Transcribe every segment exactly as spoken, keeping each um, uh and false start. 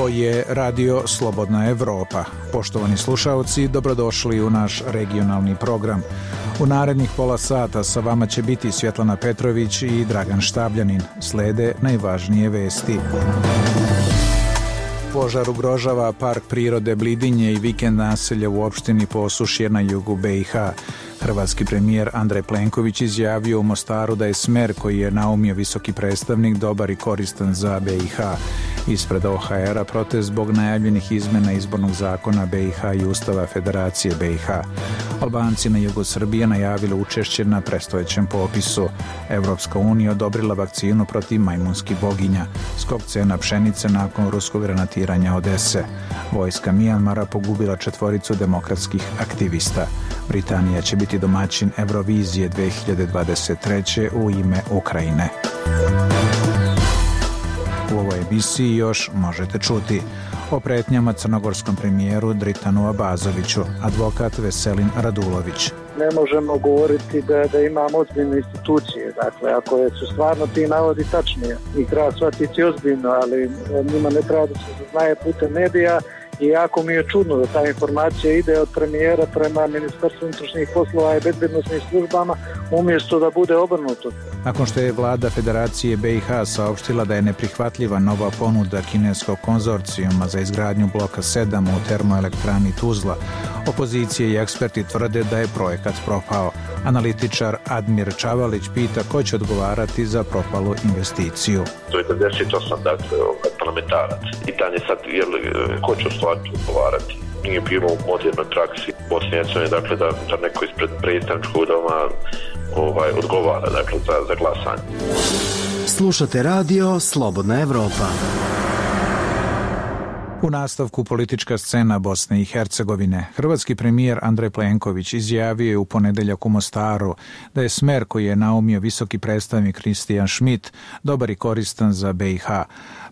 Ovo je Radio Slobodna Evropa. Poštovani slušaoci, dobrodošli u naš regionalni program. U narednih pola sata sa vama će biti Svjetlana Petrović i Dragan Štabljanin. Slede najvažnije vesti. Požar ugrožava park prirode Blidinje i vikend naselja u opštini Posušje na jugu B i H. Hrvatski premijer Andrej Plenković izjavio u Mostaru da je smer koji je naumio visoki predstavnik dobar i koristan za B i H. Ispred O H R-a protest zbog najavljenih izmena izbornog zakona B i H i Ustava Federacije B i H. Albanci na jugu Srbije najavili učešće na predstojećem popisu. Evropska unija odobrila vakcinu protiv majmunskih boginja. Skok cena pšenice nakon ruskog granatiranja Odese. Vojska Mijanmara pogubila četvoricu demokratskih aktivista. Britanija će biti domaćin Eurovizije dve hiljade dvadeset treće u ime Ukrajine. U ovoj emisiji još možete čuti o pretnjama crnogorskom premijeru Dritanu Abazoviću, advokat Veselin Radulović. Ne možemo govoriti da, da imamo ozbiljne institucije. Dakle, ako su stvarno ti navodi tačni, ih treba shvatiti ozbiljno, ali njima ne treba da se zaznaje putem medija. I jako mi je čudno da ta informacija ide od premijera prema Ministarstvu unutrašnjih poslova i bezbednosnim službama umjesto da bude obrnuto. Nakon što je vlada Federacije B i H saopštila da je neprihvatljiva nova ponuda kineskog konzorcijuma za izgradnju bloka sedam u termoelektrani Tuzla, opozicije i eksperti tvrde da je projekat propao. Analitičar Admir Čavalić pita ko će odgovarati za propalu investiciju. To je devedeset osam dakle, parlamentarac. Pitanje sad je li, ko će u stvari odgovarati. Nije bilo u modernoj praksi Bosne i Hercegovine, dakle da, da neko ispred predstavničkog doma ovaj, odgovara dakle, za, za glasanje. Slušate radio Slobodna Evropa. U nastavku politička scena Bosne i Hercegovine. Hrvatski premijer Andrej Plenković izjavio je u ponedeljak u Mostaru da je smer koji je naumio visoki predstavnik Kristijan Schmidt dobar i koristan za B i H.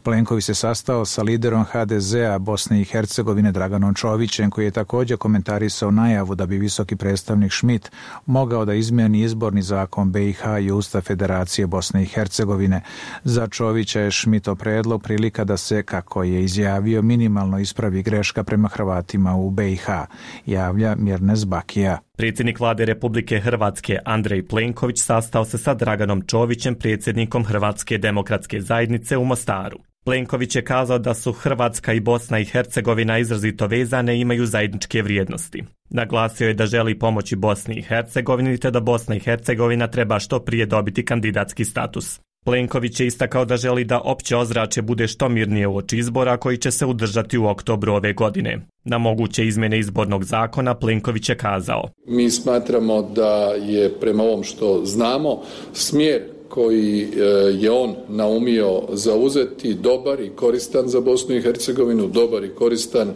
Plenković se sastao sa liderom H D Z-a Bosne i Hercegovine Draganom Čovićem, koji je također komentarisao najavu da bi visoki predstavnik Schmidt mogao da izmijeni izborni zakon B i H i Ustav Federacije Bosne i Hercegovine. Za Čovića je Schmidtov predlog prilika da se, kako je izjavio, minimalno ispravi greška prema Hrvatima u B i H, javlja Mirnes Bakija. Predsjednik vlade Republike Hrvatske Andrej Plenković sastao se sa Draganom Čovićem, predsjednikom Hrvatske demokratske zajednice u Mostaru. Plenković je kazao da su Hrvatska i Bosna i Hercegovina izrazito vezane i imaju zajedničke vrijednosti. Naglasio je da želi pomoći Bosni i Hercegovini te da Bosna i Hercegovina treba što prije dobiti kandidatski status. Plenković je istakao da želi da opće ozračje bude što mirnije uoči izbora koji će se održati u oktobru ove godine. Na moguće izmjene izbornog zakona Plenković je kazao: Mi smatramo da je prema ovom što znamo smjer koji je on naumio zauzeti dobar i koristan za Bosnu i Hercegovinu, dobar i koristan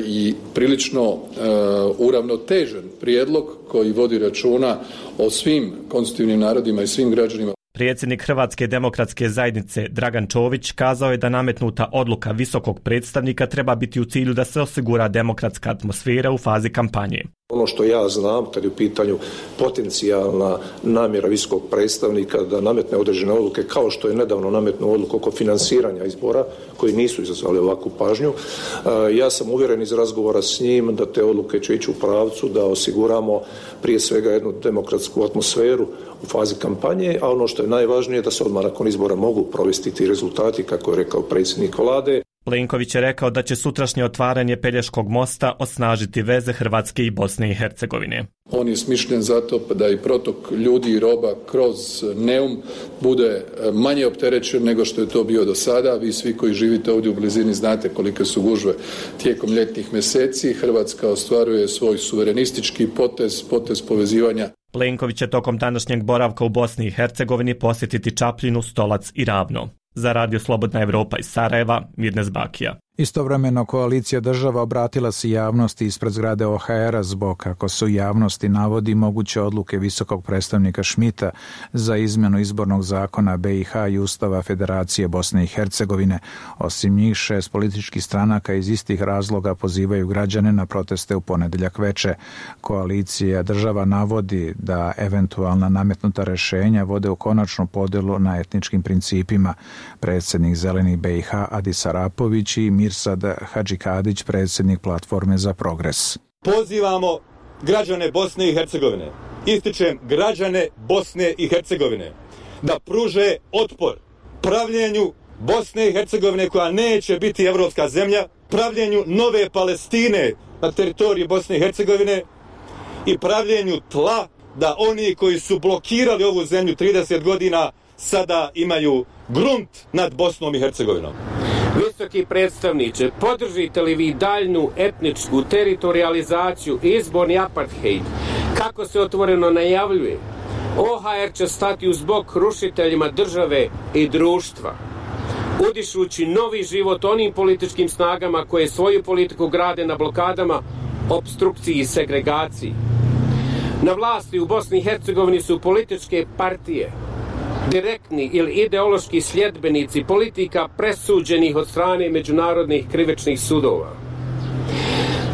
i prilično uravnotežen prijedlog koji vodi računa o svim konstitutivnim narodima i svim građanima. Predsjednik Hrvatske demokratske zajednice Dragan Čović kazao je da nametnuta odluka visokog predstavnika treba biti u cilju da se osigura demokratska atmosfera u fazi kampanje. Ono što ja znam, kad je u pitanju potencijalna namjera visokog predstavnika da nametne određene odluke, kao što je nedavno nametnuo odluku oko finansiranja izbora, koji nisu izazvali ovakvu pažnju, ja sam uvjeren iz razgovora s njim da te odluke će ići u pravcu da osiguramo prije svega jednu demokratsku atmosferu u fazi kampanje, a ono što je najvažnije da se odmah nakon izbora mogu provesti ti rezultati, kako je rekao predsjednik vlade. Plenković je rekao da će sutrašnje otvaranje Pelješkog mosta osnažiti veze Hrvatske i Bosne i Hercegovine. On je smišljen zato da i protok ljudi i roba kroz Neum bude manje opterećen nego što je to bio do sada. Vi svi koji živite ovdje u blizini znate kolike su gužve tijekom ljetnih mjeseci. Hrvatska ostvaruje svoj suverenistički potez, potez povezivanja. Plenković će tokom današnjeg boravka u Bosni i Hercegovini posjetiti Čapljinu, Stolac i Ravno. Za Radio Slobodna Evropa iz Sarajeva, Mirnes Bakija. Istovremeno koalicija država obratila se javnosti ispred zgrade O H R-a zbog, kako se u javnosti navodi, moguće odluke visokog predstavnika Schmidta za izmjenu izbornog zakona B i H i Ustava Federacije Bosne i Hercegovine. Osim njih, šest političkih stranaka iz istih razloga pozivaju građane na proteste u ponedeljak veče. Koalicija država navodi da eventualna nametnuta rješenja vode u konačnu podjelu na etničkim principima. predsjednik Zelenih B i H Adis Arapović i Mirsad Hadžikadić, predsjednik Platforme za progres. Pozivamo građane Bosne i Hercegovine, ističem građane Bosne i Hercegovine, da pruže otpor pravljenju Bosne i Hercegovine koja neće biti evropska zemlja, pravljenju nove Palestine na teritoriji Bosne i Hercegovine i pravljenju tla da oni koji su blokirali ovu zemlju trideset godina sada imaju grunt nad Bosnom i Hercegovinom. Visoki predstavniče, podržite li vi daljnu etničku teritorializaciju i izborni apartheid, kako se otvoreno najavljuje? O H R će stati uz bok rušiteljima države i društva, udišući novi život onim političkim snagama koje svoju politiku grade na blokadama, opstrukciji i segregaciji. Na vlasti u Bosni i Hercegovini su političke partije, direktni ili ideološki sljedbenici politika presuđenih od strane međunarodnih krivičnih sudova.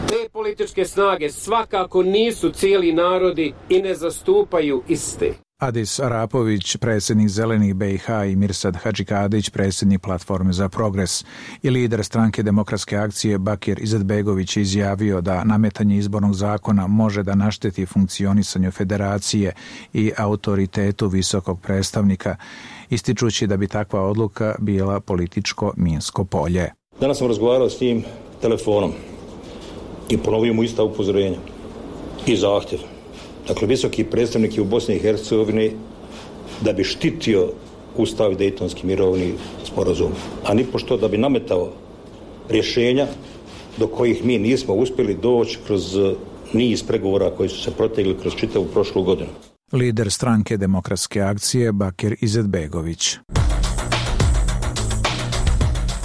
Te političke snage svakako nisu cijeli narodi i ne zastupaju iste. Adis Arapović, predsjednik Zelenih B i H i Mirsad Hadžikadić, predsjednik Platforme za progres i lider stranke Demokratske akcije Bakir Izetbegović izjavio da nametanje izbornog zakona može da našteti funkcionisanju federacije i autoritetu visokog predstavnika, ističući da bi takva odluka bila političko minsko polje. Danas sam razgovarao s njim telefonom i ponovio mu ista upozorenja i zahtjev. Dakle, visoki predstavnik je u Bosni i Hercegovini da bi štitio Ustav i Dejtonski mirovni sporazum, a nipošto da bi nametao rješenja do kojih mi nismo uspjeli doći kroz niz pregovora koji su se protegli kroz čitavu prošlu godinu. Lider stranke Demokratske akcije Bakir Izetbegović.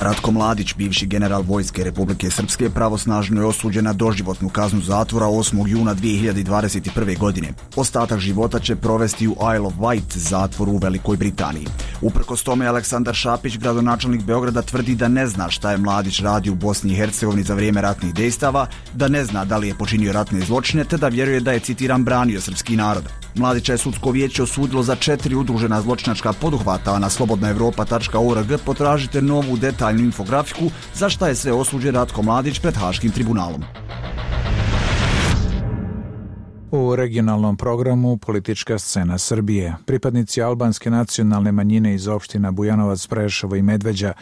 Ratko Mladić, bivši general Vojske Republike Srpske, pravosnažno je osuđen na doživotnu kaznu zatvora osmog juna dvije hiljade dvadeset prve. godine. Ostatak života će provesti u Isle of Wight zatvoru u Velikoj Britaniji. Uprkos tome, Aleksandar Šapić, gradonačelnik Beograda, tvrdi da ne zna šta je Mladić radio u Bosni i Hercegovini za vrijeme ratnih dejstava, da ne zna da li je počinio ratne zločine, te da vjeruje da je, citiram, branio srpski narod. Mladića je sudsko vijeće osudilo za četiri udružena zločinačka poduhvata, a na slobodna evropa tačka org potražite novu detaljnu infografiku za šta je sve osuđen Ratko Mladić pred Haškim tribunalom. U regionalnom programu Politička scena Srbije. Pripadnici albanske nacionalne manjine iz opština Bujanovac, Preševo i Medveđa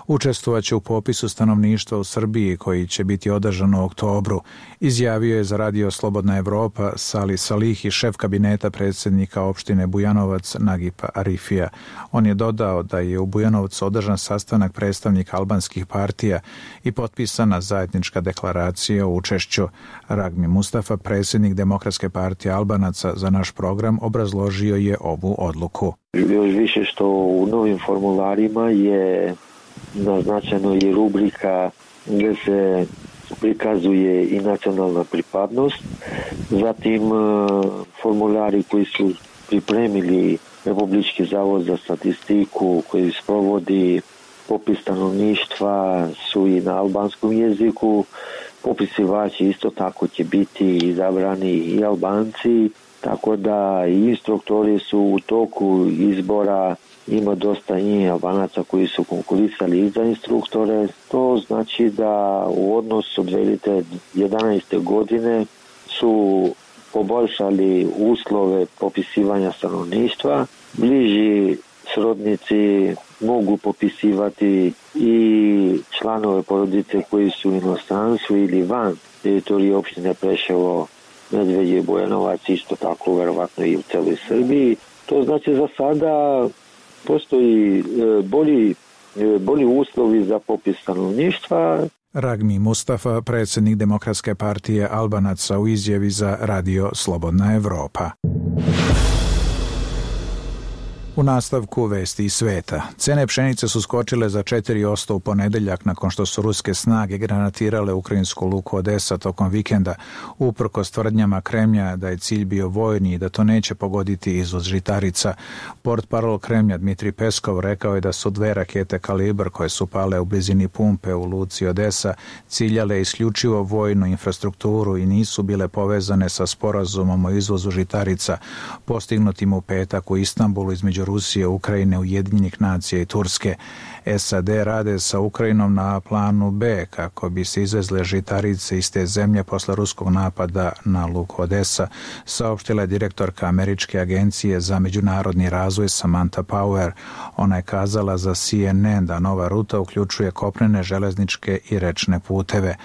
učestvovaće u popisu stanovništva u Srbiji koji će biti održan u oktobru, izjavio je za radio Slobodna Evropa Sali Salihi, šef kabineta predsjednika opštine Bujanovac Nagipa Arifija. On je dodao da je u Bujanovcu održan sastanak predstavnika albanskih partija i potpisana zajednička deklaracija o učešću. Ragmi Mustafa, predsjednik Demokratske partije Albanaca, za naš program obrazložio je ovu odluku. Još više što u novim formularima je naznačeno i rubrika gdje se prikazuje i nacionalna pripadnost. Zatim formulari koji su pripremili Republički zavod za statistiku koji sprovodi popis stanovništva su i na albanskom jeziku. Popisivači isto tako će biti izabrani i Albanci, tako da i instruktori su u toku izbora. Ima dosta i Albanaca koji su konkurisali i za instruktore. To znači da u odnosu od dvije hiljade jedanaeste. godine su poboljšali uslove popisivanja stanovništva. Bliži srodnici mogu popisivati i članove porodice koji su u inostranstvu ili van teritorije opštine Preševo, Medveđe i Bujanovac, isto tako verovatno i u celoj Srbiji. To znači za sada postoji bolji, bolji uslovi za popis stanovništva. Ragmi Mustafa, predsjednik Demokratske partije Albanaca, u izjavi za radio Slobodna Evropa. U nastavku vesti iz sveta. Cene pšenice su skočile za četiri posto u ponedeljak nakon što su ruske snage granatirale ukrajinsku luku Odesa tokom vikenda, uprkos tvrdnjama Kremlja da je cilj bio vojni i da to neće pogoditi izvoz žitarica. Portparol Kremlja Dmitrij Peskov rekao je da su dve rakete Kalibr koje su pale u blizini pumpe u luci Odesa ciljale isključivo vojnu infrastrukturu i nisu bile povezane sa sporazumom o izvozu žitarica postignutim u petak u Istanbulu između između Rusije, Ukrajine, Ujedinjenih nacija i Turske. S A D rade sa Ukrajinom na planu B kako bi se izvezle žitarice iz te zemlje posle ruskog napada na luku Odesa, saopštila je direktorka Američke agencije za međunarodni razvoj Samantha Power. Ona je kazala za C N N da nova ruta uključuje kopnene, železničke i rečne puteve.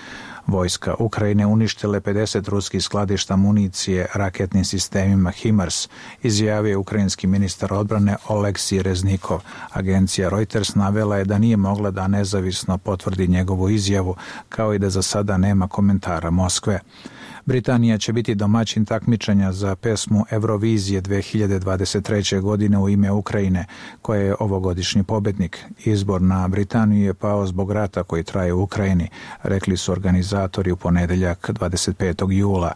Vojska Ukrajine uništile pedeset ruskih skladišta municije raketnim sistemima HIMARS, izjavio je ukrajinski ministar odbrane Oleksij Reznikov. Agencija Reuters navela je da nije mogla da nezavisno potvrdi njegovu izjavu, kao i da za sada nema komentara Moskve. Britanija će biti domaćin takmičenja za pesmu Eurovizije dve hiljade dvadeset treće. godine u ime Ukrajine, koja je ovogodišnji pobednik. Izbor na Britaniju je pao zbog rata koji traje u Ukrajini, rekli su organizatori u ponedeljak dvadeset petog jula.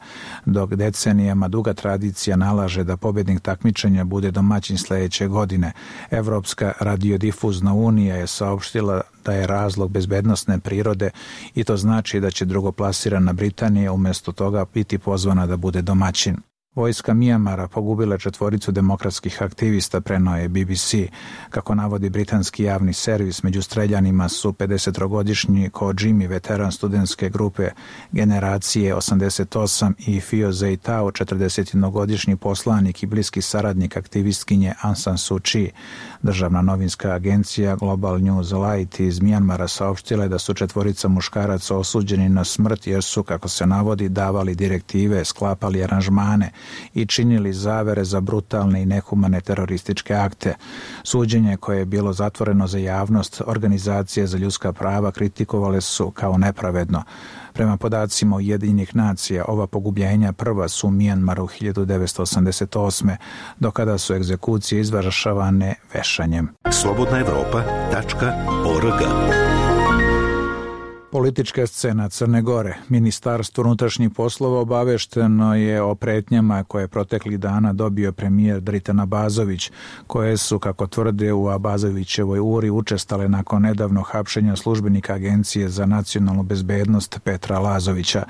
Dok decenijama duga tradicija nalaže da pobednik takmičenja bude domaćin sledeće godine, Evropska radiodifuzna unija je saopštila da je razlog bezbednosne prirode i to znači da će drugoplasirana Britanija umjesto toga biti pozvana da bude domaćin. Vojska Mijamara pogubila četvoricu demokratskih aktivista, preneo je B B C. Kako navodi britanski javni servis, među streljanima su pedesettrogodišnji Ko Jimmy, veteran studentske grupe Generacije osamdeset osam, i Fio Zeitao, četrdesetjednogodišnji poslanik i bliski saradnik aktivistkinje Aung San Suu Kyi. Državna novinska agencija Global News Light iz Mijanmara saopštila je da su četvorica muškaraca osuđeni na smrt jer su, kako se navodi, davali direktive, sklapali aranžmane i činili zavere za brutalne i nehumane terorističke akte. Suđenje, koje je bilo zatvoreno za javnost, organizacije za ljudska prava kritikovale su kao nepravedno. Prema podacima Ujedinjenih nacija, ova pogubljenja prva su u Mijanmaru hiljadu devetsto osamdeset osme. do kada su egzekucije izvršavane vešanjem. slobodna evropa tačka org. Politička scena Crne Gore. Ministarstvo unutrašnjih poslova obavešteno je o pretnjama koje je proteklih dana dobio premijer Dritan Abazović, koje su, kako tvrde u Abazovićevoj uri, učestale nakon nedavno hapšenja službenika Agencije za nacionalnu bezbednost Petra Lazovića.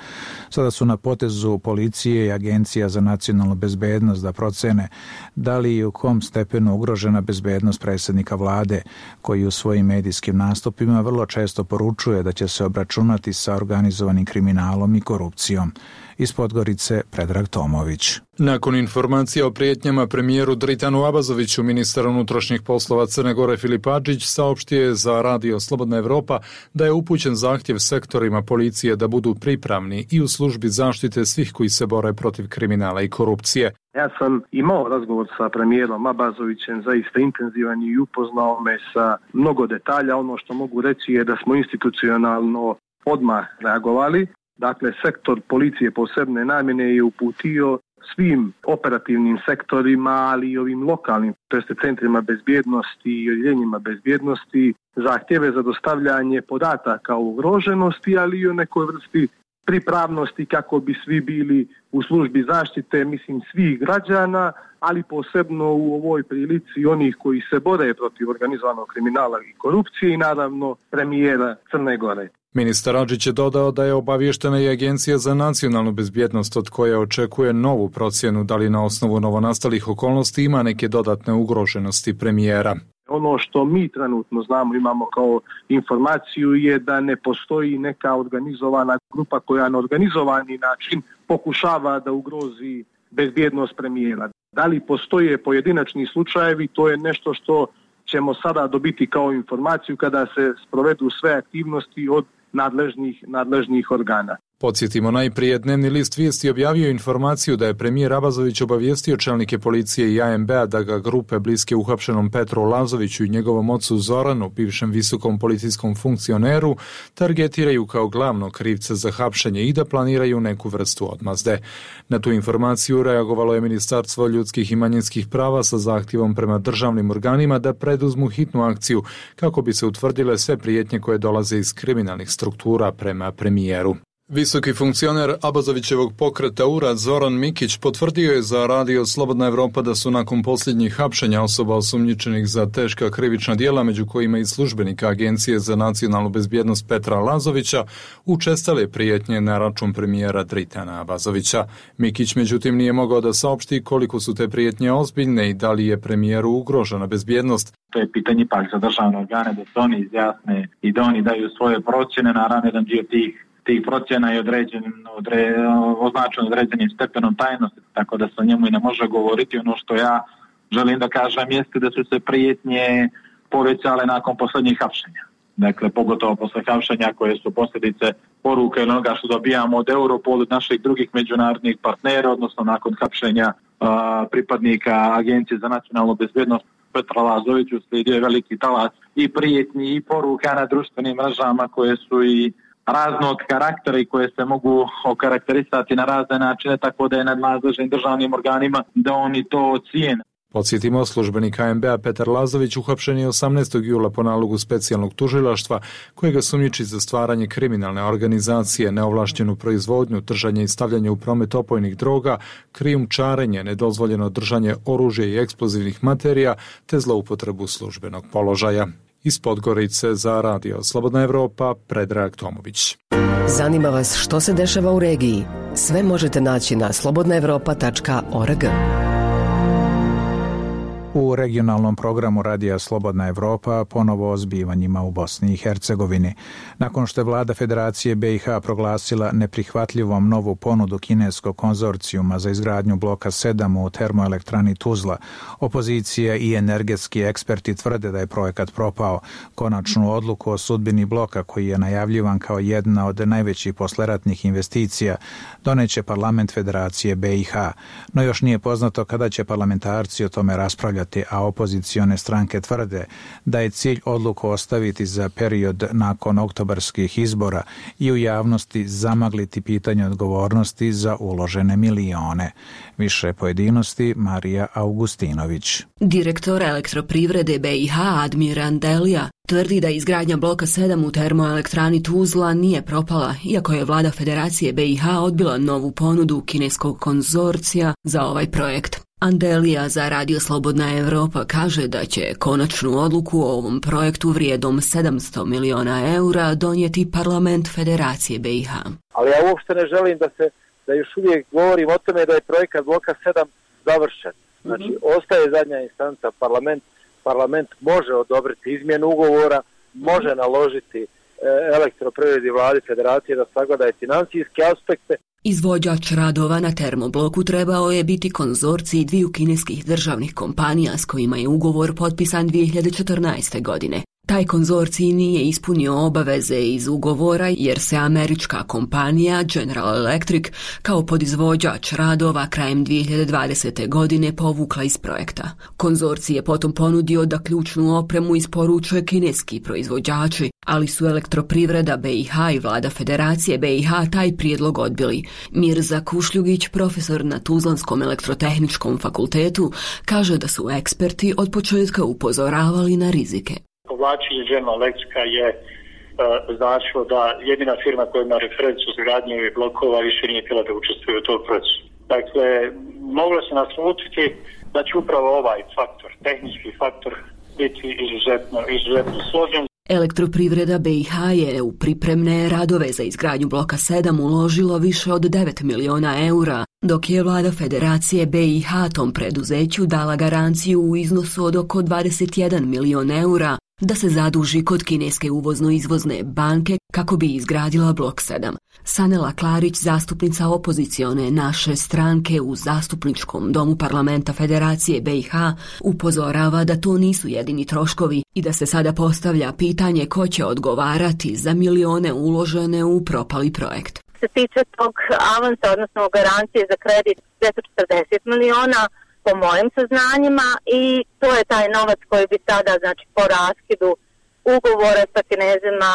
Sada su na potezu policije i Agencija za nacionalnu bezbednost da procene da li i u kom stepenu ugrožena bezbednost predsjednika vlade, koji u svojim medijskim nastupima vrlo često poručuje da će se obračunati sa organizovanim kriminalom i korupcijom. Iz Podgorice, Predrag Tomović. Nakon informacija o prijetnjama premijeru Dritanu Abazoviću, ministar unutrašnjih poslova Crne Gore Filip Adžić saopštio je za radio Slobodna Evropa da je upućen zahtjev sektorima policije da budu pripravni i u službi zaštite svih koji se bore protiv kriminala i korupcije. Ja sam imao razgovor sa premijerom Abazovićem, zaista intenzivan, i upoznao me sa mnogo detalja. Ono što mogu reći je da smo institucionalno odmah reagovali. Dakle, sektor policije posebne namjene je uputio svim operativnim sektorima, ali i ovim lokalnim, to jest centrima bezbjednosti i odjeljenjima bezbjednosti, zahtjeve za dostavljanje podataka o ugroženosti, ali i o nekoj vrsti pripravnosti kako bi svi bili u službi zaštite, mislim, svih građana, ali posebno u ovoj prilici onih koji se bore protiv organizovanog kriminala i korupcije i naravno premijera Crne Gore. Ministar Adžić je dodao da je obavještena i Agencija za nacionalnu bezbjednost, od koje očekuje novu procjenu da li na osnovu novonastalih okolnosti ima neke dodatne ugroženosti premijera. Ono što mi trenutno znamo, imamo kao informaciju, je da ne postoji neka organizovana grupa koja na organizovani način pokušava da ugrozi bezbjednost premijera. Da li postoje pojedinačni slučajevi, to je nešto što ćemo sada dobiti kao informaciju kada se sprovedu sve aktivnosti od nadležnih, nadležnih organa. Podsjetimo, najprije Dnevni list vijesti objavio informaciju da je premijer Abazović obavijestio čelnike policije i A M B-a da ga grupe bliske uhapšenom Petru Lazoviću i njegovom ocu Zoranu, bivšem visokom policijskom funkcioneru, targetiraju kao glavnog krivca za hapšenje i da planiraju neku vrstu odmazde. Na tu informaciju reagovalo je Ministarstvo ljudskih i manjinskih prava sa zahtjevom prema državnim organima da preduzmu hitnu akciju kako bi se utvrdile sve prijetnje koje dolaze iz kriminalnih struktura prema premijeru. Visoki funkcioner Abazovićevog pokreta U R A Zoran Mikić potvrdio je za radio Slobodna Evropa da su nakon posljednjih hapšenja osoba osumnjičenih za teška krivična djela, među kojima i službenika Agencije za nacionalnu bezbjednost Petra Lazovića, učestale prijetnje na račun premijera Dritana Abazovića. Mikić međutim nije mogao da saopšti koliko su te prijetnje ozbiljne i da li je premijeru ugrožena bezbjednost. To je pitanje pak za državne organe da se oni izjasne i da oni daju svoje procjene, naravno jedan dio tih tih procjena je određen, odre, označen određenim stepenom tajnosti, tako da se o njemu i ne može govoriti. Ono što ja želim da kažem jeste da su se prijetnje povećale nakon posljednjih hapšenja. Dakle, pogotovo posle hapšenja koje su posljedice poruke ili onoga što dobijamo od Europol, od naših drugih međunarodnih partnera, odnosno nakon hapšenja a, pripadnika Agencije za nacionalnu bezbjednost Petra Lazoviću slijedio je veliki talas i prijetnji i poruka na društvenim mrežama koje su i raznog karaktera i koje se mogu okarakterisati na razne načine, tako da je nadležnim državnim organima da oni to cijene. Podsjetimo, službenik A M B-a Petar Lazović uhapšen je osamnaestog jula po nalogu specijalnog tužilaštva koje ga sumnjiči za stvaranje kriminalne organizacije, neovlaštenu proizvodnju, držanje i stavljanje u promet opojnih droga, krijumčarenje, nedozvoljeno držanje oružja i eksplozivnih materija te zloupotrebu službenog položaja. Iz Podgorice za radio Slobodna Evropa, Predrag Tomović. Zanima vas što se dešava u regiji? Sve možete naći na slobodna evropa tačka org. U regionalnom programu Radija Slobodna Evropa ponovo o zbivanjima u Bosni i Hercegovini. Nakon što je vlada Federacije B i H proglasila neprihvatljivom novu ponudu kineskog konzorcijuma za izgradnju bloka sedam u termoelektrani Tuzla, opozicija i energetski eksperti tvrde da je projekat propao. Konačnu odluku o sudbini bloka, koji je najavljivan kao jedna od najvećih posleratnih investicija, doneće parlament Federacije B i H. No još nije poznato kada će parlamentarci o tome raspravljati, a opozicione stranke tvrde da je cilj odluku ostaviti za period nakon oktobarskih izbora i u javnosti zamagliti pitanje odgovornosti za uložene milione. Više pojedinosti Marija Augustinović. Direktor elektroprivrede B i H Admir Andelija tvrdi da izgradnja bloka sedam u termoelektrani Tuzla nije propala, iako je vlada Federacije B i H odbila novu ponudu kineskog konzorcija za ovaj projekt. Andelija za Radio Slobodna Evropa kaže da će konačnu odluku o ovom projektu vrijedom sedamsto miliona eura donijeti parlament Federacije B i H. Ali ja uopšte ne želim da se da još uvijek govorim o tome da je projekat bloka sedam završen. Znači, mm-hmm. ostaje zadnja instanca, parlament, parlament može odobriti izmjenu ugovora, može naložiti e, elektroprivredi vladi Federacije da sagleda financijske aspekte. Izvođač radova na termobloku trebao je biti konzorcij dviju kineskih državnih kompanija s kojima je ugovor potpisan dvije hiljade četrnaeste. godine. Taj konzorcij nije ispunio obaveze iz ugovora jer se američka kompanija General Electric kao podizvođač radova krajem dvije hiljade dvadesete. godine povukla iz projekta. Konzorcij je potom ponudio da ključnu opremu isporučuje kineski proizvođači, ali su elektroprivreda B i H i vlada Federacije B i H taj prijedlog odbili. Mirza Kušljugić, profesor na Tuzlanskom elektrotehničkom fakultetu, kaže da su eksperti od početka upozoravali na rizike. Povlačenje General Electrica je uh, značilo da jedina firma koja ima referencu za gradnju blokova više nije htjela da učestvuje u tom procesu. Dakle, moglo se naslutiti da će upravo ovaj faktor, tehnički faktor, biti izuzetno, izuzetno složen. Elektroprivreda B i H je u pripremne radove za izgradnju bloka sedam uložilo više od devet miliona eura, dok je vlada Federacije B i H tom preduzeću dala garanciju u iznosu od oko dvadeset jedan milion eura da se zaduži kod kineske uvozno-izvozne banke kako bi izgradila blok sedam. Sanela Klarić, zastupnica opozicione Naše stranke u zastupničkom domu parlamenta Federacije B i H, upozorava da to nisu jedini troškovi i da se sada postavlja pitanje ko će odgovarati za milione uložene u propali projekt. Se tiče tog avansa, odnosno garancije za kredit dvjesto četrdeset miliona, po mojim saznanjima, i to je taj novac koji bi sada, znači, po raskidu ugovora sa Kinezima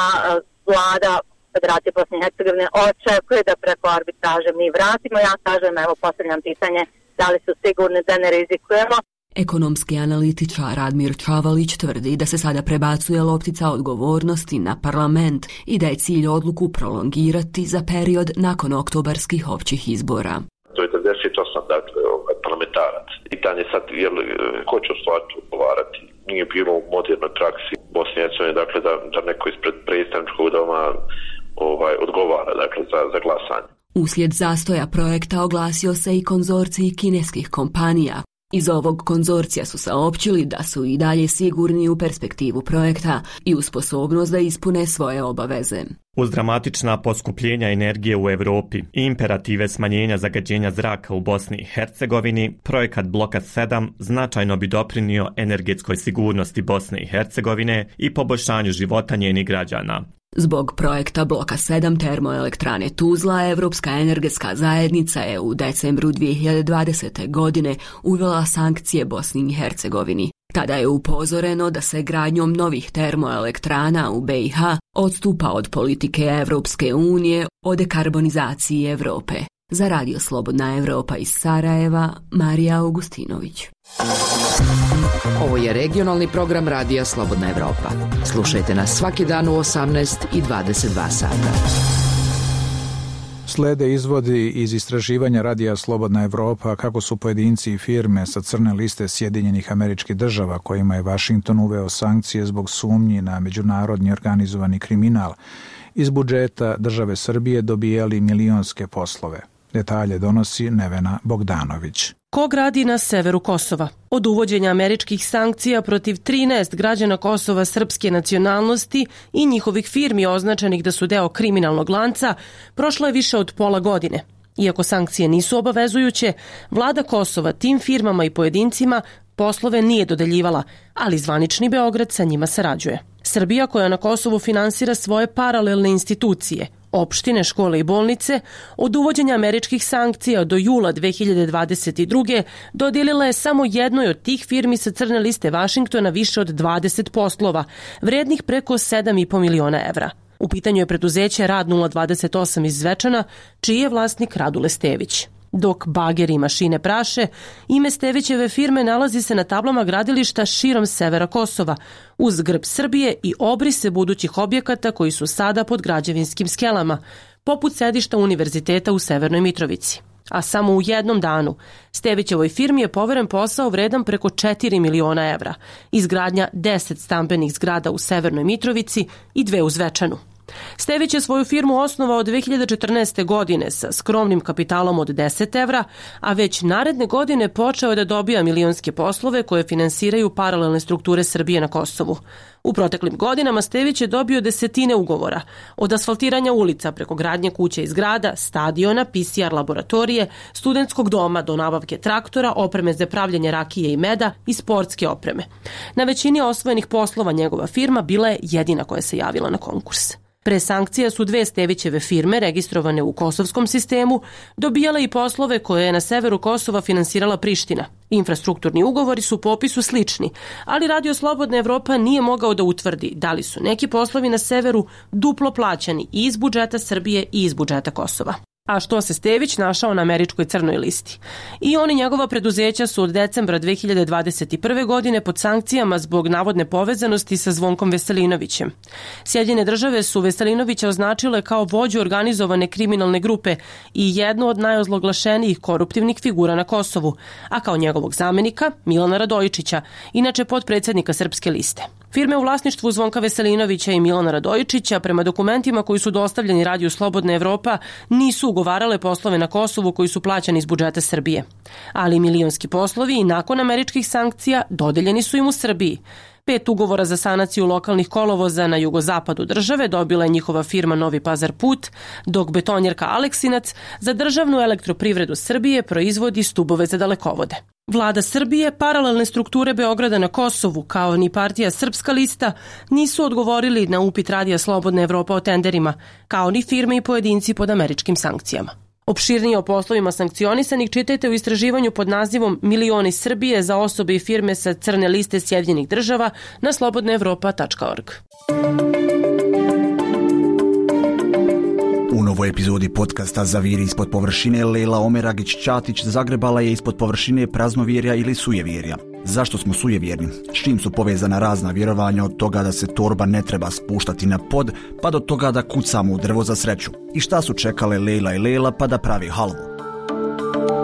vlada Federacije Bosne i Hercegovine očekuje da preko arbitraže mi vratimo. Ja kažem, evo, postavljam pitanje da li su sigurni da ne rizikujemo. Ekonomski analitičar Radmir Čavalić tvrdi da se sada prebacuje loptica odgovornosti na parlament i da je cilj odluku prolongirati za period nakon oktobarskih općih izbora. To je devedeset osam dakle, parlamentarac. Pitanje sad je li ko će u stvari odgovarati. Nije bilo u modernoj praksi Bosne i Hercegovine dakle, da, da neko ispred predstavničkog doma ovaj, odgovara dakle, za, za glasanje. Uslijed zastoja projekta oglasio se i konzorcij kineskih kompanija. Iz ovog konzorcija su saopćili da su i dalje sigurni u perspektivu projekta i u sposobnost da ispune svoje obaveze. Uz dramatična poskupljenja energije u Europi i imperative smanjenja zagađenja zraka u Bosni i Hercegovini, projekat Bloka sedam značajno bi doprinio energetskoj sigurnosti Bosne i Hercegovine i poboljšanju života njenih građana. Zbog projekta Bloka sedam termoelektrane Tuzla, Evropska energetska zajednica je u decembru dvije hiljade dvadesete. godine uvela sankcije Bosni i Hercegovini. Tada je upozoreno da se gradnjom novih termoelektrana u be i ha odstupa od politike Evropske unije o dekarbonizaciji Evrope. Za Radio Slobodna Evropa iz Sarajeva, Marija Augustinović. Ovo je regionalni program Radija Slobodna Evropa. Slušajte nas svaki dan u osamnaest i dvadeset dva sata. Slede izvodi iz istraživanja Radija Slobodna Evropa kako su pojedinci i firme sa crne liste Sjedinjenih Američkih Država kojima je Vašington uveo sankcije zbog sumnji na međunarodni organizovani kriminal iz budžeta države Srbije dobijali milionske poslove. Detalje donosi Nevena Bogdanović. Ko gradi na severu Kosova? Od uvođenja američkih sankcija protiv trinaest građana Kosova srpske nacionalnosti i njihovih firmi označenih da su deo kriminalnog lanca, prošlo je više od pola godine. Iako sankcije nisu obavezujuće, vlada Kosova tim firmama i pojedincima poslove nije dodeljivala, ali zvanični Beograd sa njima sarađuje. Srbija, koja na Kosovu finansira svoje paralelne institucije, opštine, škole i bolnice, od uvođenja američkih sankcija do jula dve hiljade dvadeset druge. dodijelila je samo jednoj od tih firmi sa crne liste Vašingtona više od dvadeset poslova, vrednih preko sedam i po miliona evra. U pitanju je preduzeće Rad nula dvadeset osam iz Zvečana, čiji je vlasnik Radule Stević. Dok bageri i mašine praše, ime Stevićeve firme nalazi se na tablama gradilišta širom severa Kosova, uz grb Srbije i obrise budućih objekata koji su sada pod građevinskim skelama, poput sedišta univerziteta u Severnoj Mitrovici. A samo u jednom danu Stevićevoj firmi je poveren posao vredan preko četiri miliona evra, izgradnja deset stambenih zgrada u Severnoj Mitrovici i dve u Zvečanu. Stević je svoju firmu osnovao dve hiljade četrnaeste. godine sa skromnim kapitalom od deset evra, a već naredne godine počeo je da dobija milionske poslove koje finansiraju paralelne strukture Srbije na Kosovu. U proteklim godinama Stević je dobio desetine ugovora, od asfaltiranja ulica preko gradnje kuća i zgrada, stadiona, pe ce er laboratorije, studentskog doma do nabavke traktora, opreme za pravljenje rakije i meda i sportske opreme. Na većini osvojenih poslova njegova firma bila je jedina koja se javila na konkurs. Pre sankcija su dve Stevićeve firme, registrovane u kosovskom sistemu, dobijale i poslove koje je na severu Kosova finansirala Priština. Infrastrukturni ugovori su po opisu slični, ali Radio Slobodna Evropa nije mogao da utvrdi da li su neki poslovi na severu duplo plaćani i iz budžeta Srbije i iz budžeta Kosova. A što se Stević našao na američkoj crnoj listi? I on i njegova preduzeća su od decembra dve hiljade dvadeset prve. godine pod sankcijama zbog navodne povezanosti sa Zvonkom Veselinovićem. Sjedinjene države su Veselinovića označile kao vođu organizovane kriminalne grupe i jednu od najozloglašenijih koruptivnih figura na Kosovu, a kao njegovog zamenika Milana Radojičića, inače potpredsjednika Srpske liste. Firme u vlasništvu Zvonka Veselinovića i Milana Radojičića, prema dokumentima koji su dostavljeni Radiju Slobodna Evropa, nisu ugovarale poslove na Kosovu koji su plaćani iz budžeta Srbije. Ali milionski poslovi i nakon američkih sankcija dodeljeni su im u Srbiji. Pet ugovora za sanaciju lokalnih kolovoza na jugozapadu države dobila je njihova firma Novi Pazar Put, dok betonjerka Aleksinac za državnu elektroprivredu Srbije proizvodi stubove za dalekovode. Vlada Srbije, paralelne strukture Beograda na Kosovu, kao ni partija Srpska lista, nisu odgovorili na upit Radija Slobodna Evropa o tenderima, kao ni firme i pojedinci pod američkim sankcijama. Opširnije o poslovima sankcionisanih čitajte u istraživanju pod nazivom Milioni Srbije za osobe i firme sa crne liste Sjedinjenih država na slobodna evropa tačka org. U novoj epizodi podcasta Zaviri ispod površine Lejla Omeragić-Ćatić zagrebala je ispod površine praznovjerja ili sujevjerja. Zašto smo sujevjerni? S čim su povezana razna vjerovanja, od toga da se torba ne treba spuštati na pod, pa do toga da kucamo u drvo za sreću? I šta su čekale Lejla i Lejla pa da pravi halvu?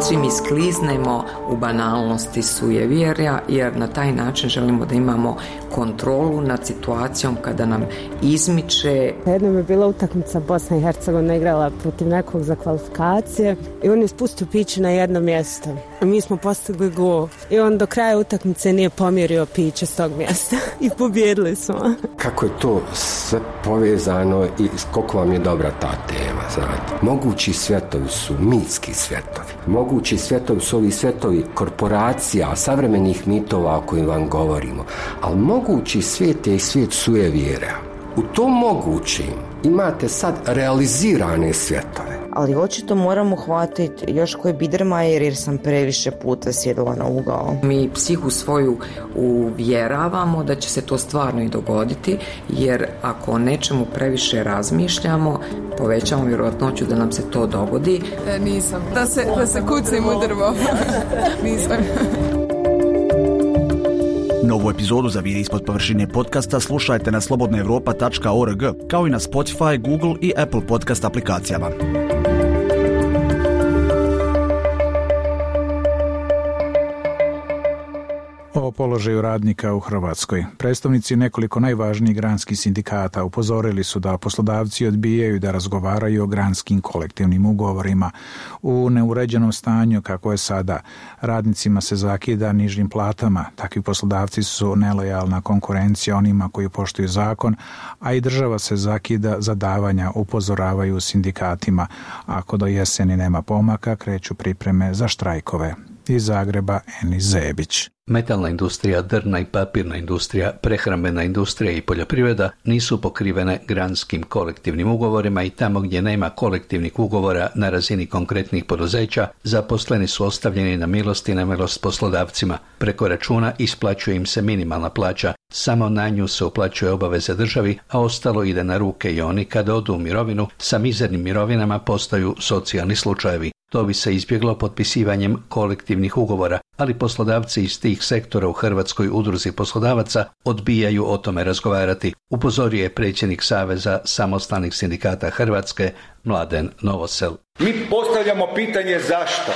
Svi mi skliznemo u banalnosti sujevjerja, jer na taj način želimo da imamo kontrolu nad situacijom kada nam izmiče. Jednom je bila utakmica, Bosna i Hercegovina igrala protiv nekog za kvalifikacije i on je spustio piće na jedno mjesto. Mi smo postigli gol i on do kraja utakmice nije pomjerio piće s tog mjesta i pobjedili smo. Kako je to sve povezano i koliko vam je dobra ta tema, znate. Mogući svjetovi su mitski svjetovi. Mogući svjetovi su ovi svjetovi korporacija, savremenih mitova o kojim vam govorimo. Ali mogući svijet je i svijet sujevjera. U tom mogućim imate sad realizirane svjetove. Ali očito moramo hvatiti još koji Biedermajer jer sam previše puta sjedila na ugao. Mi psihu svoju uvjeravamo da će se to stvarno i dogoditi, jer ako o nečemu previše razmišljamo, povećamo vjerojatnoću da nam se to dogodi. E, nisam. Da se, da se kucim u drvo. Nisam. Novu epizodu za Vidi ispod površine podcasta slušajte na slobodna europa tačka org, kao i na Spotify, Google i Apple podcast aplikacijama. O položaju radnika u Hrvatskoj. Predstavnici nekoliko najvažnijih granskih sindikata upozorili su da poslodavci odbijaju da razgovaraju o granskim kolektivnim ugovorima. U neuređenom stanju kako je sada, radnicima se zakida nižim platama. Takvi poslodavci su nelojalna konkurencija onima koji poštuju zakon, a i država se zakida za davanja, upozoravaju sindikatima. Ako do jeseni nema pomaka, kreću pripreme za štrajkove. Iz Zagreba Enis Zebić. Metalna industrija, drvna i papirna industrija, prehrambena industrija i poljoprivreda nisu pokrivene granskim kolektivnim ugovorima i tamo gdje nema kolektivnih ugovora na razini konkretnih poduzeća, zaposleni su ostavljeni na milost i nemilost poslodavcima. Preko računa isplaćuje im se minimalna plaća, samo na nju se uplaćuje obaveze državi, a ostalo ide na ruke i oni kada odu u mirovinu sa mizernim mirovinama postaju socijalni slučajevi. To bi se izbjeglo potpisivanjem kolektivnih ugovora, ali poslodavci iz tih sektora u Hrvatskoj udruzi poslodavaca odbijaju o tome razgovarati, upozorio je predsjednik Saveza samostalnih sindikata Hrvatske Mladen Novosel. Mi postavljamo pitanje zašto.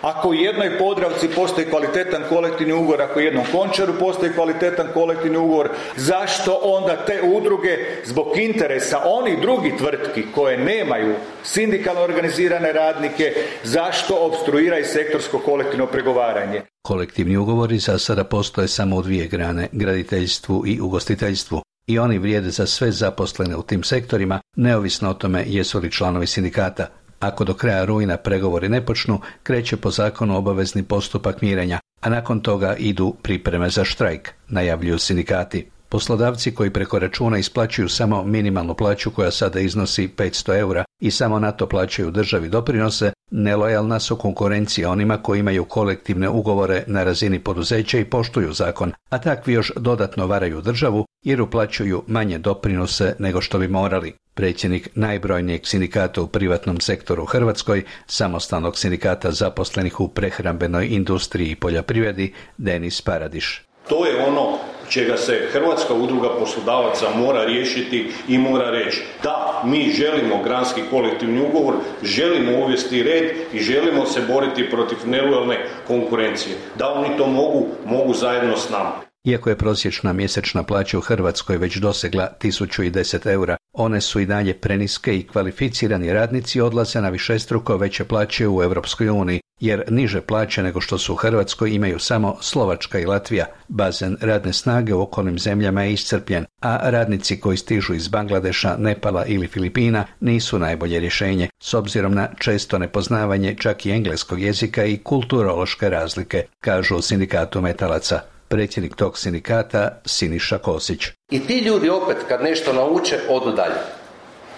Ako u jednoj Podravci postoji kvalitetan kolektivni ugovor, ako u jednom Končaru postoji kvalitetan kolektivni ugovor, zašto onda te udruge zbog interesa onih drugih tvrtki koje nemaju sindikalno organizirane radnike, zašto opstruiraju sektorsko kolektivno pregovaranje? Kolektivni ugovori za sada postoje samo u dvije grane, graditeljstvu i ugostiteljstvu. I oni vrijede za sve zaposlene u tim sektorima, neovisno o tome jesu li članovi sindikata. Ako do kraja rujna pregovori ne počnu, kreće po zakonu obavezni postupak mirenja, a nakon toga idu pripreme za štrajk, najavljuju sindikati. Poslodavci koji preko računa isplaćuju samo minimalnu plaću koja sada iznosi petsto eura i samo na to plaćaju državi doprinose, nelojalna su konkurencija onima koji imaju kolektivne ugovore na razini poduzeća i poštuju zakon, a takvi još dodatno varaju državu jer uplaćuju manje doprinose nego što bi morali. Predsjednik najbrojnijeg sindikata u privatnom sektoru u Hrvatskoj, samostalnog sindikata zaposlenih u prehrambenoj industriji i poljoprivredi, Denis Paradiš. To je ono čega se Hrvatska udruga poslodavaca mora riješiti i mora reći da, mi želimo granski kolektivni ugovor, želimo uvesti red i želimo se boriti protiv nelojalne konkurencije. Da oni to mogu, mogu zajedno s nama. Iako je prosječna mjesečna plaća u Hrvatskoj već dosegla tisuću deset eura, one su i dalje preniske i kvalificirani radnici odlaze na višestruko veće plaće u Europskoj uniji, jer niže plaće nego što su u Hrvatskoj imaju samo Slovačka i Latvija. Bazen radne snage u okolnim zemljama je iscrpljen, a radnici koji stižu iz Bangladeša, Nepala ili Filipina nisu najbolje rješenje, s obzirom na često nepoznavanje čak i engleskog jezika i kulturološke razlike, kažu u sindikatu metalaca. Predsjednik tog sindikata Siniša Kosić. I ti ljudi opet kad nešto nauče odu dalje.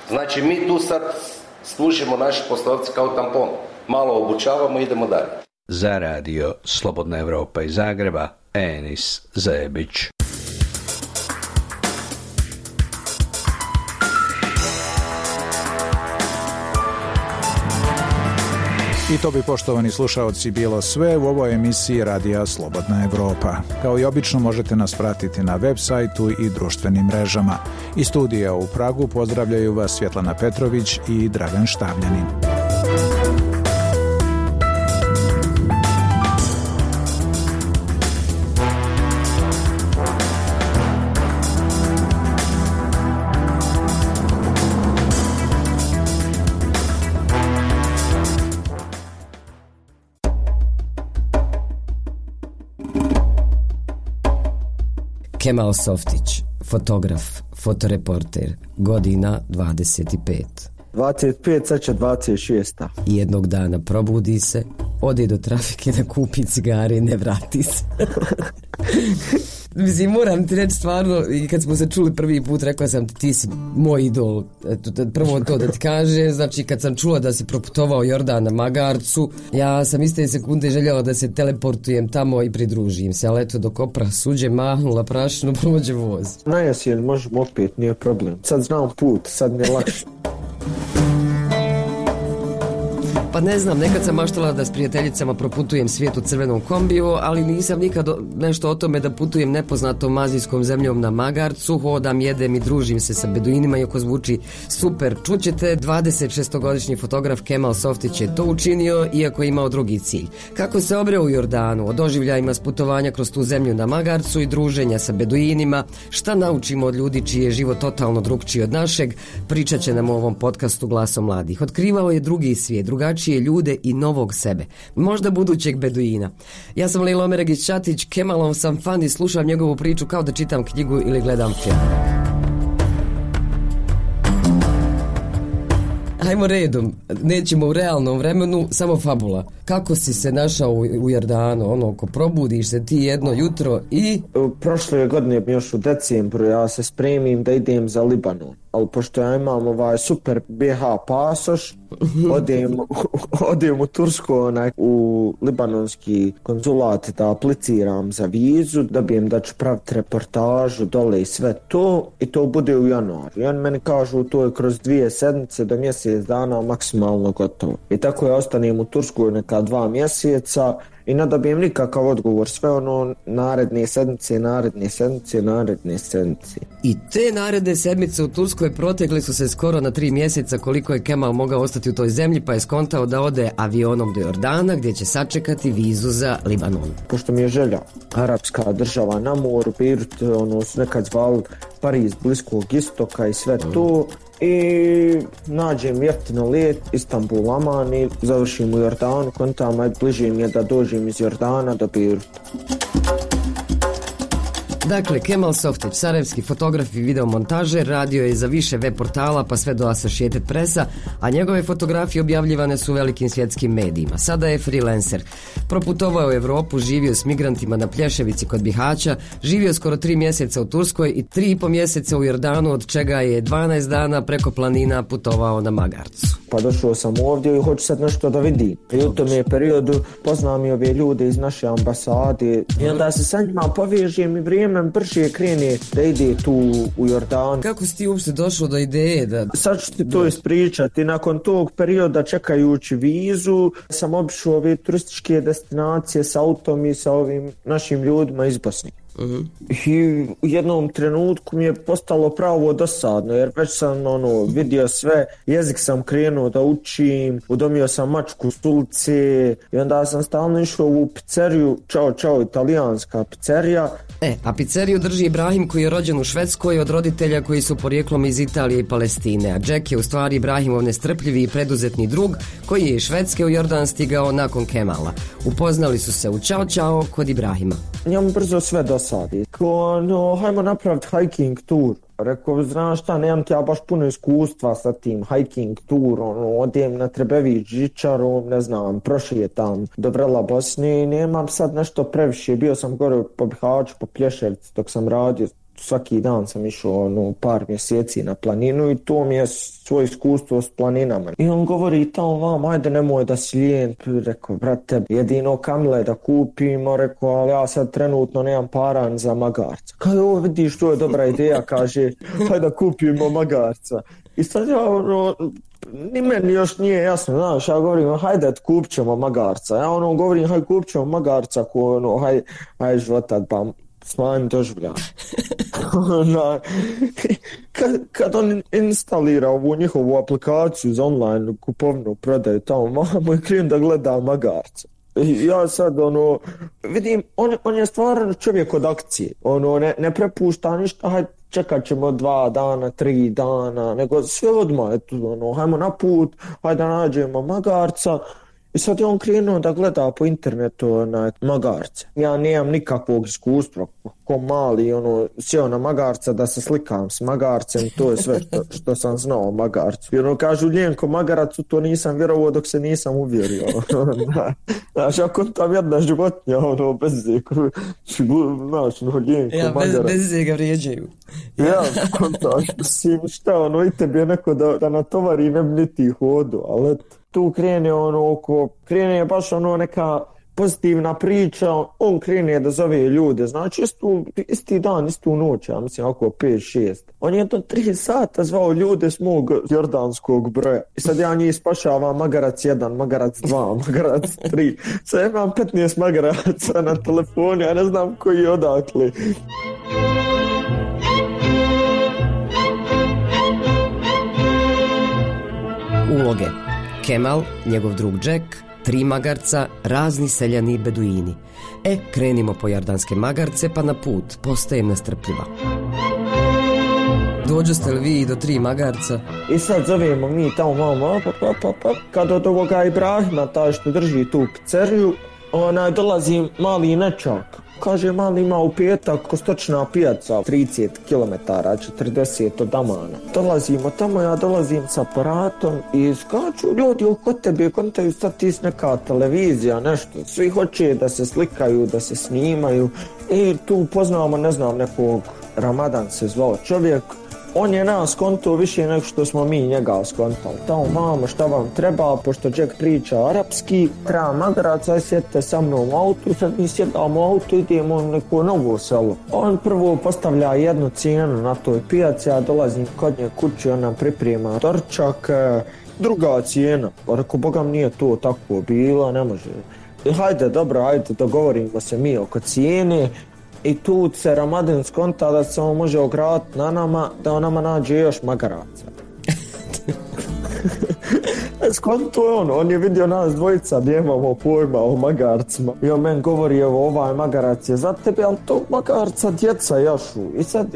Znači mi tu sad služimo naši poslodavci kao tampon. Malo obučavamo i idemo dalje. Za radio Slobodna Europa iz Zagreba, Enis Zebić. I to bi, poštovani slušaoci, bilo sve u ovoj emisiji Radija Slobodna Evropa. Kao i obično možete nas pratiti na web sajtu i društvenim mrežama. Iz studija u Pragu pozdravljaju vas Svjetlana Petrović i Dragan Štavljanin. Kemal Softić, fotograf, fotoreporter, godina dvadeset pet. dvadeset pet, sad će dvadeset šest. Jednog dana probudi se, ode do trafike da kupi cigare i ne vrati se. Mislim, moram ti reći stvarno, i kad smo se čuli prvi put, rekao sam ti, ti si moj idol. Eto, prvo to da ti kažem, znači kad sam čula da si proputovao Jordan na Magarcu, ja sam iste sekunde željela da se teleportujem tamo i pridružim se, ali eto, dok opra suđe mahnula prašinu, prođe voz. Na jesen možemo opet, nije problem. Sad znam put, sad mi je lakše. Pa ne znam, nekad sam maštala da s prijateljicama proputujem svijet u crvenom kombiju, ali nisam nikad nešto o tome da putujem nepoznatom azijskom zemljom na Magarcu, hodam, jedem i družim se sa beduinima, iako zvuči super. Čućete, dvadeset šestogodišnji fotograf Kemal Softić je to učinio, iako je imao drugi cilj. Kako se obreo u Jordanu, o doživljajima s putovanja kroz tu zemlju na Magarcu i druženja sa beduinima, šta naučimo od ljudi čiji je život totalno drugčiji od našeg, pričat će nam u ovom podcastu Glasom mladih. Otkrivao je drugi svijet, drugačije ljude i novog sebe, možda budućeg beduina. Ja sam Lejla Omeregić-Čatić, Kemalov sam fan i slušam njegovu priču kao da čitam knjigu ili gledam film. Hajmo redom, nećemo u realnom vremenu, samo fabula. Kako si se našao u Jordanu, ono, ko probudiš se ti jedno jutro i... Prošle godine, još u decembru, ja se spremim da idem za Libanon. Ali pošto ja imam ovaj super B H pasoš, odem, odem u Tursku, onaj, u libanonski konzulat da apliciram za vizu, da bi im da ću praviti reportažu dole i sve to, i to bude u januaru. I oni meni kažu to je kroz dvije sedmice do mjesec dana maksimalno gotovo. I tako ja ostanem u Tursku neka dva mjeseca i ne dobijem nikakav odgovor, sve ono naredne sedmice, naredne sedmice, naredne sedmice. I te naredne sedmice u Turskoj protekli su se skoro na tri mjeseca koliko je Kemal mogao ostati u toj zemlji, pa je skontao da ode avionom do Jordana gdje će sačekati vizu za Libanon. Pošto mi je želja, arapska država na moru, Beirut, ono su nekad zvali Pariz bliskog istoka i sve mm. to. I nađem jeftino let Istanbul, Aman i završim u Jordanu, kontama je bliže mi je da dođem iz Jordana do Beiruta. Dakle, Kemal Softić, sarajevski fotograf i videomontažer, radio je za više web portala pa sve do Associated Pressa, a njegove fotografije objavljivane su u velikim svjetskim medijima. Sada je freelancer. Proputovao u Europu, živio s migrantima na Plješevici kod Bihaća, živio skoro tri mjeseca u Turskoj i tri i po mjeseca u Jordanu, od čega je dvanaest dana preko planina putovao na Magarcu. Pa došao sam ovdje i hoću sad nešto da vidim. I u tom je periodu poznam i ove ljude iz naše ambasade i onda se sa njima povežem i vrijeme brže krene da ide tu u Jordan. Kako si ti uopšte došao do ideje da... Sad ću ti to ispričati. Nakon tog perioda čekajući vizu sam obišao ove turističke destinacije s autom i sa ovim našim ljudima iz Bosne. Uh-huh. I u jednom trenutku mi je postalo pravo dosadno jer već sam ono vidio sve, jezik sam krenuo da učim, udomio sam mačku s ulice i onda sam stalno išao u pizzeriju, čao čao italijanska pizzerija. E, a pizzeriju drži Ibrahim koji je rođen u Švedskoj od roditelja koji su porijeklom iz Italije i Palestine, a Jack je u stvari Ibrahimov nestrpljivi i preduzetni drug koji je iz Švedske u Jordan stigao nakon Kemala. Upoznali su se u Ćao Ćao kod Ibrahima. Ja mu brzo sve dosadi. Ko, no, hajmo napraviti hiking tour. Rekao, znaš šta, nemam ti ja baš puno iskustva sa tim hiking tourom, odem na Trebević žičarom, ne znam, prošetam do Vrela Bosne i nemam sad nešto previše. Bio sam gore po Bihaću, po Plješevci dok sam radio, svaki dan sam išao ono, par mjeseci na planinu i to mi je svoje iskustvo s planinama. I on govori tamo vam, ajde nemoj da si lijen, rekao, brate, jedino kamile da kupimo, rekao, ali ja sad trenutno nemam paran za magarca. Kaže, ovo vidiš, to je dobra ideja, kaže, hajde da kupimo magarca. I sad ja, ono, ni meni još nije jasno, znaš, ja govorim, hajde, kupit ćemo magarca. Ja ono govorim, hajde, kupit ćemo magarca, ko, ono, hajde, hajde, životat, pa smanjim doživljaj. Ona, kad, kad on instalira ovu njihovu aplikaciju za online kupovnu prodaju tamo, mamo je krijem da gleda magarca. I ja sad, ono, vidim, on, on je stvarno čovjek od akcije, ono, ne, ne prepušta ništa, hajde, čekat ćemo dva dana, tri dana, nego sve odmah, eto, ono, hajmo na put, hajde nađemo magarca. I sad je on krenuo da gleda po internetu na magarce. Ja nemam nikakvog iskustva, ko mali, ono, sjeo na magarca da se slikam s magarcem, to je sve što, što sam znao o magarcu. I ono, kažu Ljenko magaracu, to nisam vjerovao dok se nisam uvjerio. Znaš, ako tam jedna životinja, ono, bez zeka, znaš, ono, Ljenko ja, magarac. Ja, bez, bez zeka vrijeđaju. Ja, kontaš, mislim, šta, ono, i tebi je neko da, da natovari ne bi niti hodu, ali eto. Tu krene ono oko, krene baš ono neka pozitivna priča, on krene da zove ljude, znači istu, isti dan, istu noć, ja mislim oko pet šest. On je to tri sata zvao ljude s mog jordanskog broja. I sad ja njih spašavam magarac jedan, magarac dva, magarac tri. Sad imam petnaest magaraca na telefonu, ja ne znam koji je odakle. Uloge. Kemal, njegov drug Jack, tri magarca, razni seljani beduini. E, krenimo po jordanske magarce pa na put, postajem nestrpljiva. Dođoste li vi do tri magarca? I sad zovemo mi tamo mamo, pa, pa, pa, pa. Kad od ovoga Ibrahima, taj što drži tu pizzeriju, onaj dolazi mali nečak. Kaže, mali ima u petak kostočna pijaca, trideset kilometara, četrdeset od Amana. Dolazimo tamo, ja dolazim s aparatom i skaču ljudi oko tebe, kontaju sad ti neka televizija, nešto. Svi hoće da se slikaju, da se snimaju i tu poznamo, ne znam, nekog, Ramadan se zvao čovjek. On je nas skontao više nego što smo mi njega skontali. Tamo, mamo, šta vam treba, pošto Jack priča arapski, treba magaraca, sjedite sa mnom u autu, sad mi sjedamo u autu, idemo u neko novo selo. On prvo postavlja jednu cijenu na toj pijaci, ja dolazim kod nje kući, on nam priprema dorčak, druga cijena. Pa reko, bogam nije to tako bilo, ne može. I hajde, dobro, hajde, dogovorimo se mi oko cijene. I tu se Ramadan skonta da se on može ograditi na nama, da on nama nađe još magaraca. Skonto je on, on je vidio nas dvojica, nemamo pojma o magarcima. I on meni govori, evo ovaj magarac je za tebe, ali to magarca djeca jašu. I sad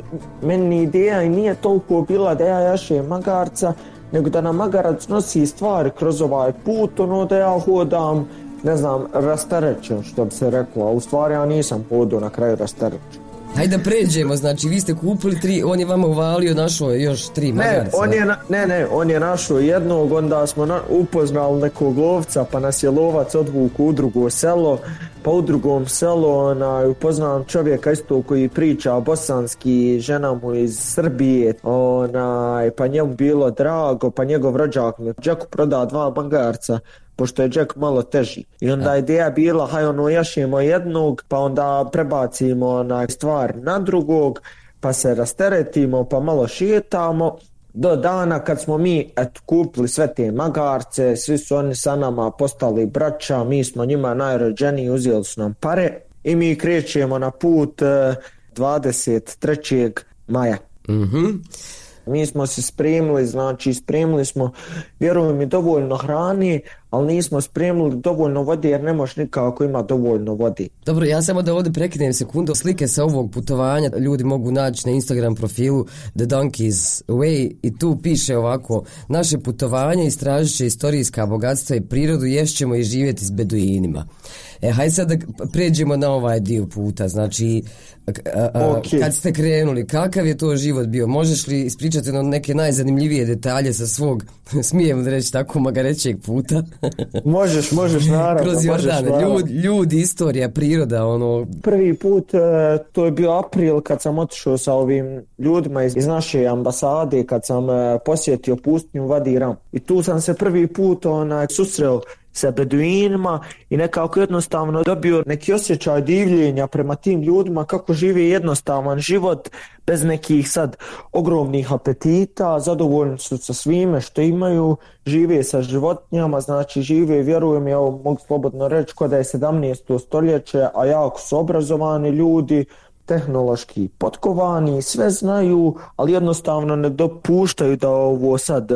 meni ideja i nije toliko bila da ja jašem magarca, nego da nam magarac nosi stvari kroz ovaj put, ono da ja hodam, ne znam, rasterećen, što bi se reklo, a u stvari ja nisam hodao na kraju rasterećen. Hajde da pređemo, znači vi ste kupili tri, on je vama uvalio, našao još tri magarca. Ne, on je, na, ne, ne, on je našao jednog, onda smo na, upoznali nekog lovca, pa nas je lovac odvuku u drugo selo, pa u drugom selu onaj, upoznam čovjeka isto koji priča bosanski, žena mu iz Srbije, onaj, pa njemu bilo drago, pa njegov rođak mi Jacku proda dva magarca, pošto je Jack malo teži. I onda je ideja bila, haj ono jašemo jednog, pa onda prebacimo onaj stvar na drugog, pa se rasteretimo, pa malo šetamo, do dana kad smo mi et, kupili sve te magarce, svi su oni sa nama postali braća, mi smo njima najrođeniji, uzeli su nam pare i mi krećemo na put dvadeset trećeg maja. Mhm. Mi smo se spremili, znači spremili smo, vjerujem mi, dovoljno hrani, ali nismo spremili dovoljno vode jer ne možeš nikako ima dovoljno vode. Dobro, ja samo da ovdje prekinem sekundu. Slike sa ovog putovanja ljudi mogu naći na Instagram profilu The Donkey's Way i tu piše ovako: naše putovanje istražit će istorijska bogatstva i prirodu, ješćemo i živjeti s beduinima. E, hajde sad da pređemo na ovaj dio puta, znači a, a, okay. Kad ste krenuli, kakav je to život bio? Možeš li ispričati no neke najzanimljivije detalje sa svog, smijem da reći tako, magarećeg puta? Možeš, možeš, naravno. Kroz Jordane, ljudi, ljudi, istorija, priroda, ono... Prvi put, to je bio april kad sam otišao sa ovim ljudima iz, iz naše ambasade, kad sam posjetio pustinju Vadi Ram. I tu sam se prvi put onaj susreo sa beduinima i nekako jednostavno dobio neki osjećaj divljenja prema tim ljudima kako žive jednostavan život bez nekih sad ogromnih apetita, zadovoljni su sa svime što imaju, žive sa životinjama, znači žive, vjerujem, ja mogu slobodno reći ko da je sedamnaesto stoljeće, a jako su obrazovani ljudi, tehnološki potkovani, sve znaju, ali jednostavno ne dopuštaju da ovo sad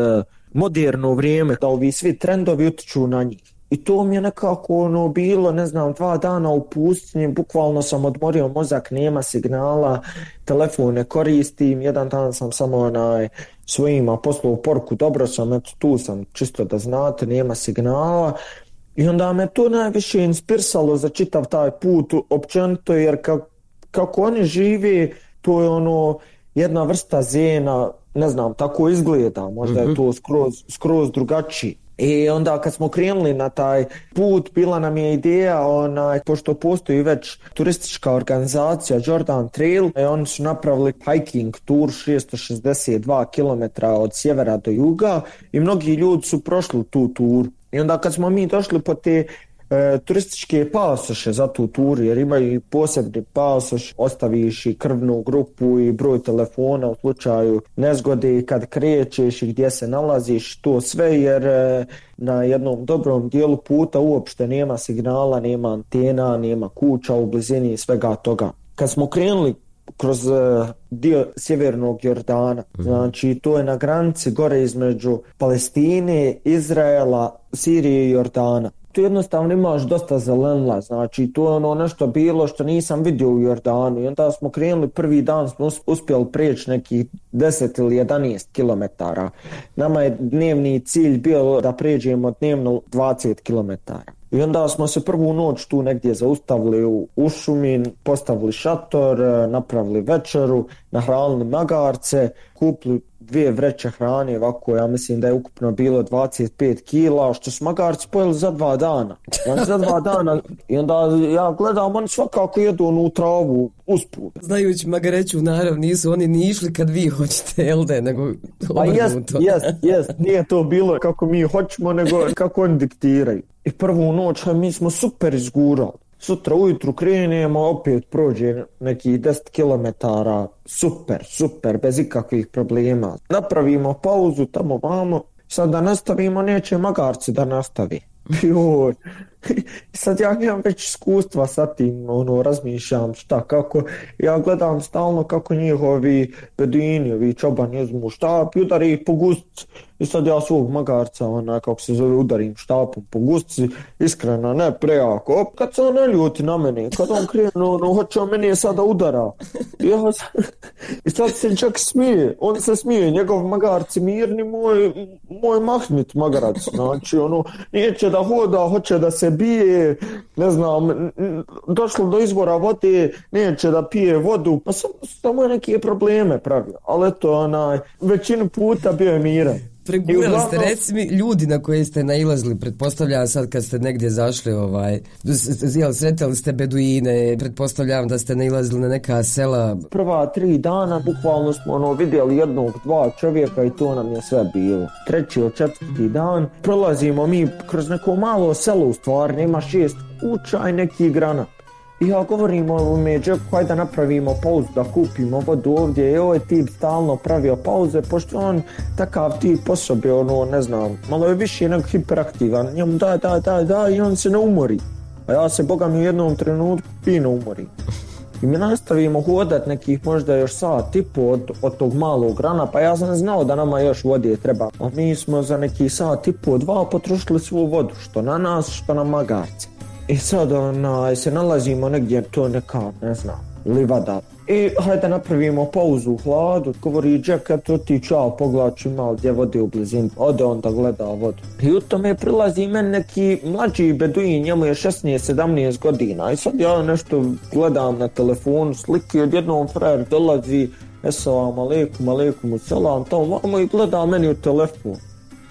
moderno vrijeme, da ovi svi trendovi utiču na njih. I to mi je nekako ono bilo, ne znam, dva dana u pustinji, bukvalno sam odmorio mozak, nema signala, telefon ne koristim, jedan dan sam samo onaj svojima poslao poruku, dobro sam, eto tu sam, čisto da znate, nema signala. I onda me to najviše inspirsalo za čitav taj put općenito, jer kako, kako oni žive, to je ono jedna vrsta zena, ne znam, tako izgleda, možda je to skroz, skroz drugačiji. I onda kad smo krenuli na taj put, bila nam je ideja, onaj, pošto postoji već turistička organizacija Jordan Trail, i oni su napravili hiking tour šesto šezdeset dva kilometra od sjevera do juga i mnogi ljudi su prošli tu tur. I onda kad smo mi došli po te E, turističke pasoše za tu turu, jer imaju i posebni pasoš, ostaviš i krvnu grupu i broj telefona u slučaju nezgode kad krećeš i gdje se nalaziš, to sve, jer e, na jednom dobrom dijelu puta uopšte nema signala, nema antena, nema kuća u blizini svega toga. Kad smo krenuli kroz uh, dio sjevernog Jordana, znači to je na granici gore između Palestine, Izraela, Sirije i Jordana. Tu jednostavno imaš dosta zelenila, znači to je ono nešto bilo što nisam vidio u Jordanu i onda smo krenuli, prvi dan smo uspjeli preći nekih deset ili jedanaest kilometara. Nama je dnevni cilj bio da pređemo dnevno dvadeset kilometara. I onda smo se prvu noć tu negdje zaustavili u, u šumi, postavili šator, napravili večeru, nahranili magarce, kupili dvije vreće hrane, ovako ja mislim da je ukupno bilo dvadeset pet kila, što su magarci pojeli za dva dana. Znači za dva dana i onda ja gledam, oni svakako jedu onu travu usput. Znajući magareću narav, nisu oni ni išli kad vi hoćete, jel de, nego pa jest, jest, jest, nije to bilo kako mi hoćemo, nego kako oni diktiraju. I prvu noć mi smo super izgurali. Sutra ujutru krenemo, opet prođe nekih deset kilometara, super, super, bez ikakvih problema. Napravimo pauzu tamo vamo, sad da nastavimo, neće magarci da nastavi. Joj. Sad ja imam već iskustva sa tim, ono, razmišljam šta, kako, ja gledam stalno kako njihovi beduini, ovi čobani uzmu štap i udari ih po gustici. I sad ja svog magarca, ona, kako se zove, udarim štapom po gustici, iskreno, ne prejako. Op, kad se on ne ljuti na mene, kad on krenu, ono, hoće on meni sada udara. Ja, i sad se čak smije, on se smije, njegov magarci mirni, moj, moj mahnit magarac, znači, ono, neće da hoda, hoće da se bije, ne znam, došlo do izvora vode, neće da pije vodu, pa samo, samo neke probleme pravio, ali eto, onaj, većinu puta bio je miran. Pregurali uglavnom... ste, reci mi, ljudi na koje ste nailazili, pretpostavljam sad kad ste negdje zašli, ovaj, jel, sretali ste beduine, pretpostavljam da ste nailazili na neka sela. Prva tri dana bukvalno smo ono, vidjeli jednog, dva čovjeka i to nam je sve bilo. Treći od četvrti dan prolazimo mi kroz neko malo selo, u stvari nema šest kuća i neki granat. I ja govorim u među, hajde da napravimo pauzu, da kupimo vodu ovdje. I ovaj tip stalno pravio pauze, pošto on takav tip po sobi, ono, ne znam, malo je više nego hiperaktivan. Njemu daj, daj, daj, daj i on se ne umori. A ja se, boga mi, u jednom trenutku fino umori. I mi nastavimo hodat nekih možda još sat i po od, od tog malog rana, pa ja sam znao da nama još vode treba. A mi smo za neki sat i po, dva potrošili svu vodu, što na nas, što na magarce. I sad onaj, se nalazimo negdje, to neka, ne znam, livada. I hajde napravimo pauzu u hladu, govori Jack, eto ti čao, poglači malo gdje vode u blizini. Ode on da gleda vodu. I u tome prilazi meni neki mlađi beduin, njemu je šesnaest sedamnaest godina. I sad ja nešto gledam na telefonu, slike, odjednom frajer dolazi, esalam aleikum, aleikum selam, tamo vamo i gleda meni u telefon.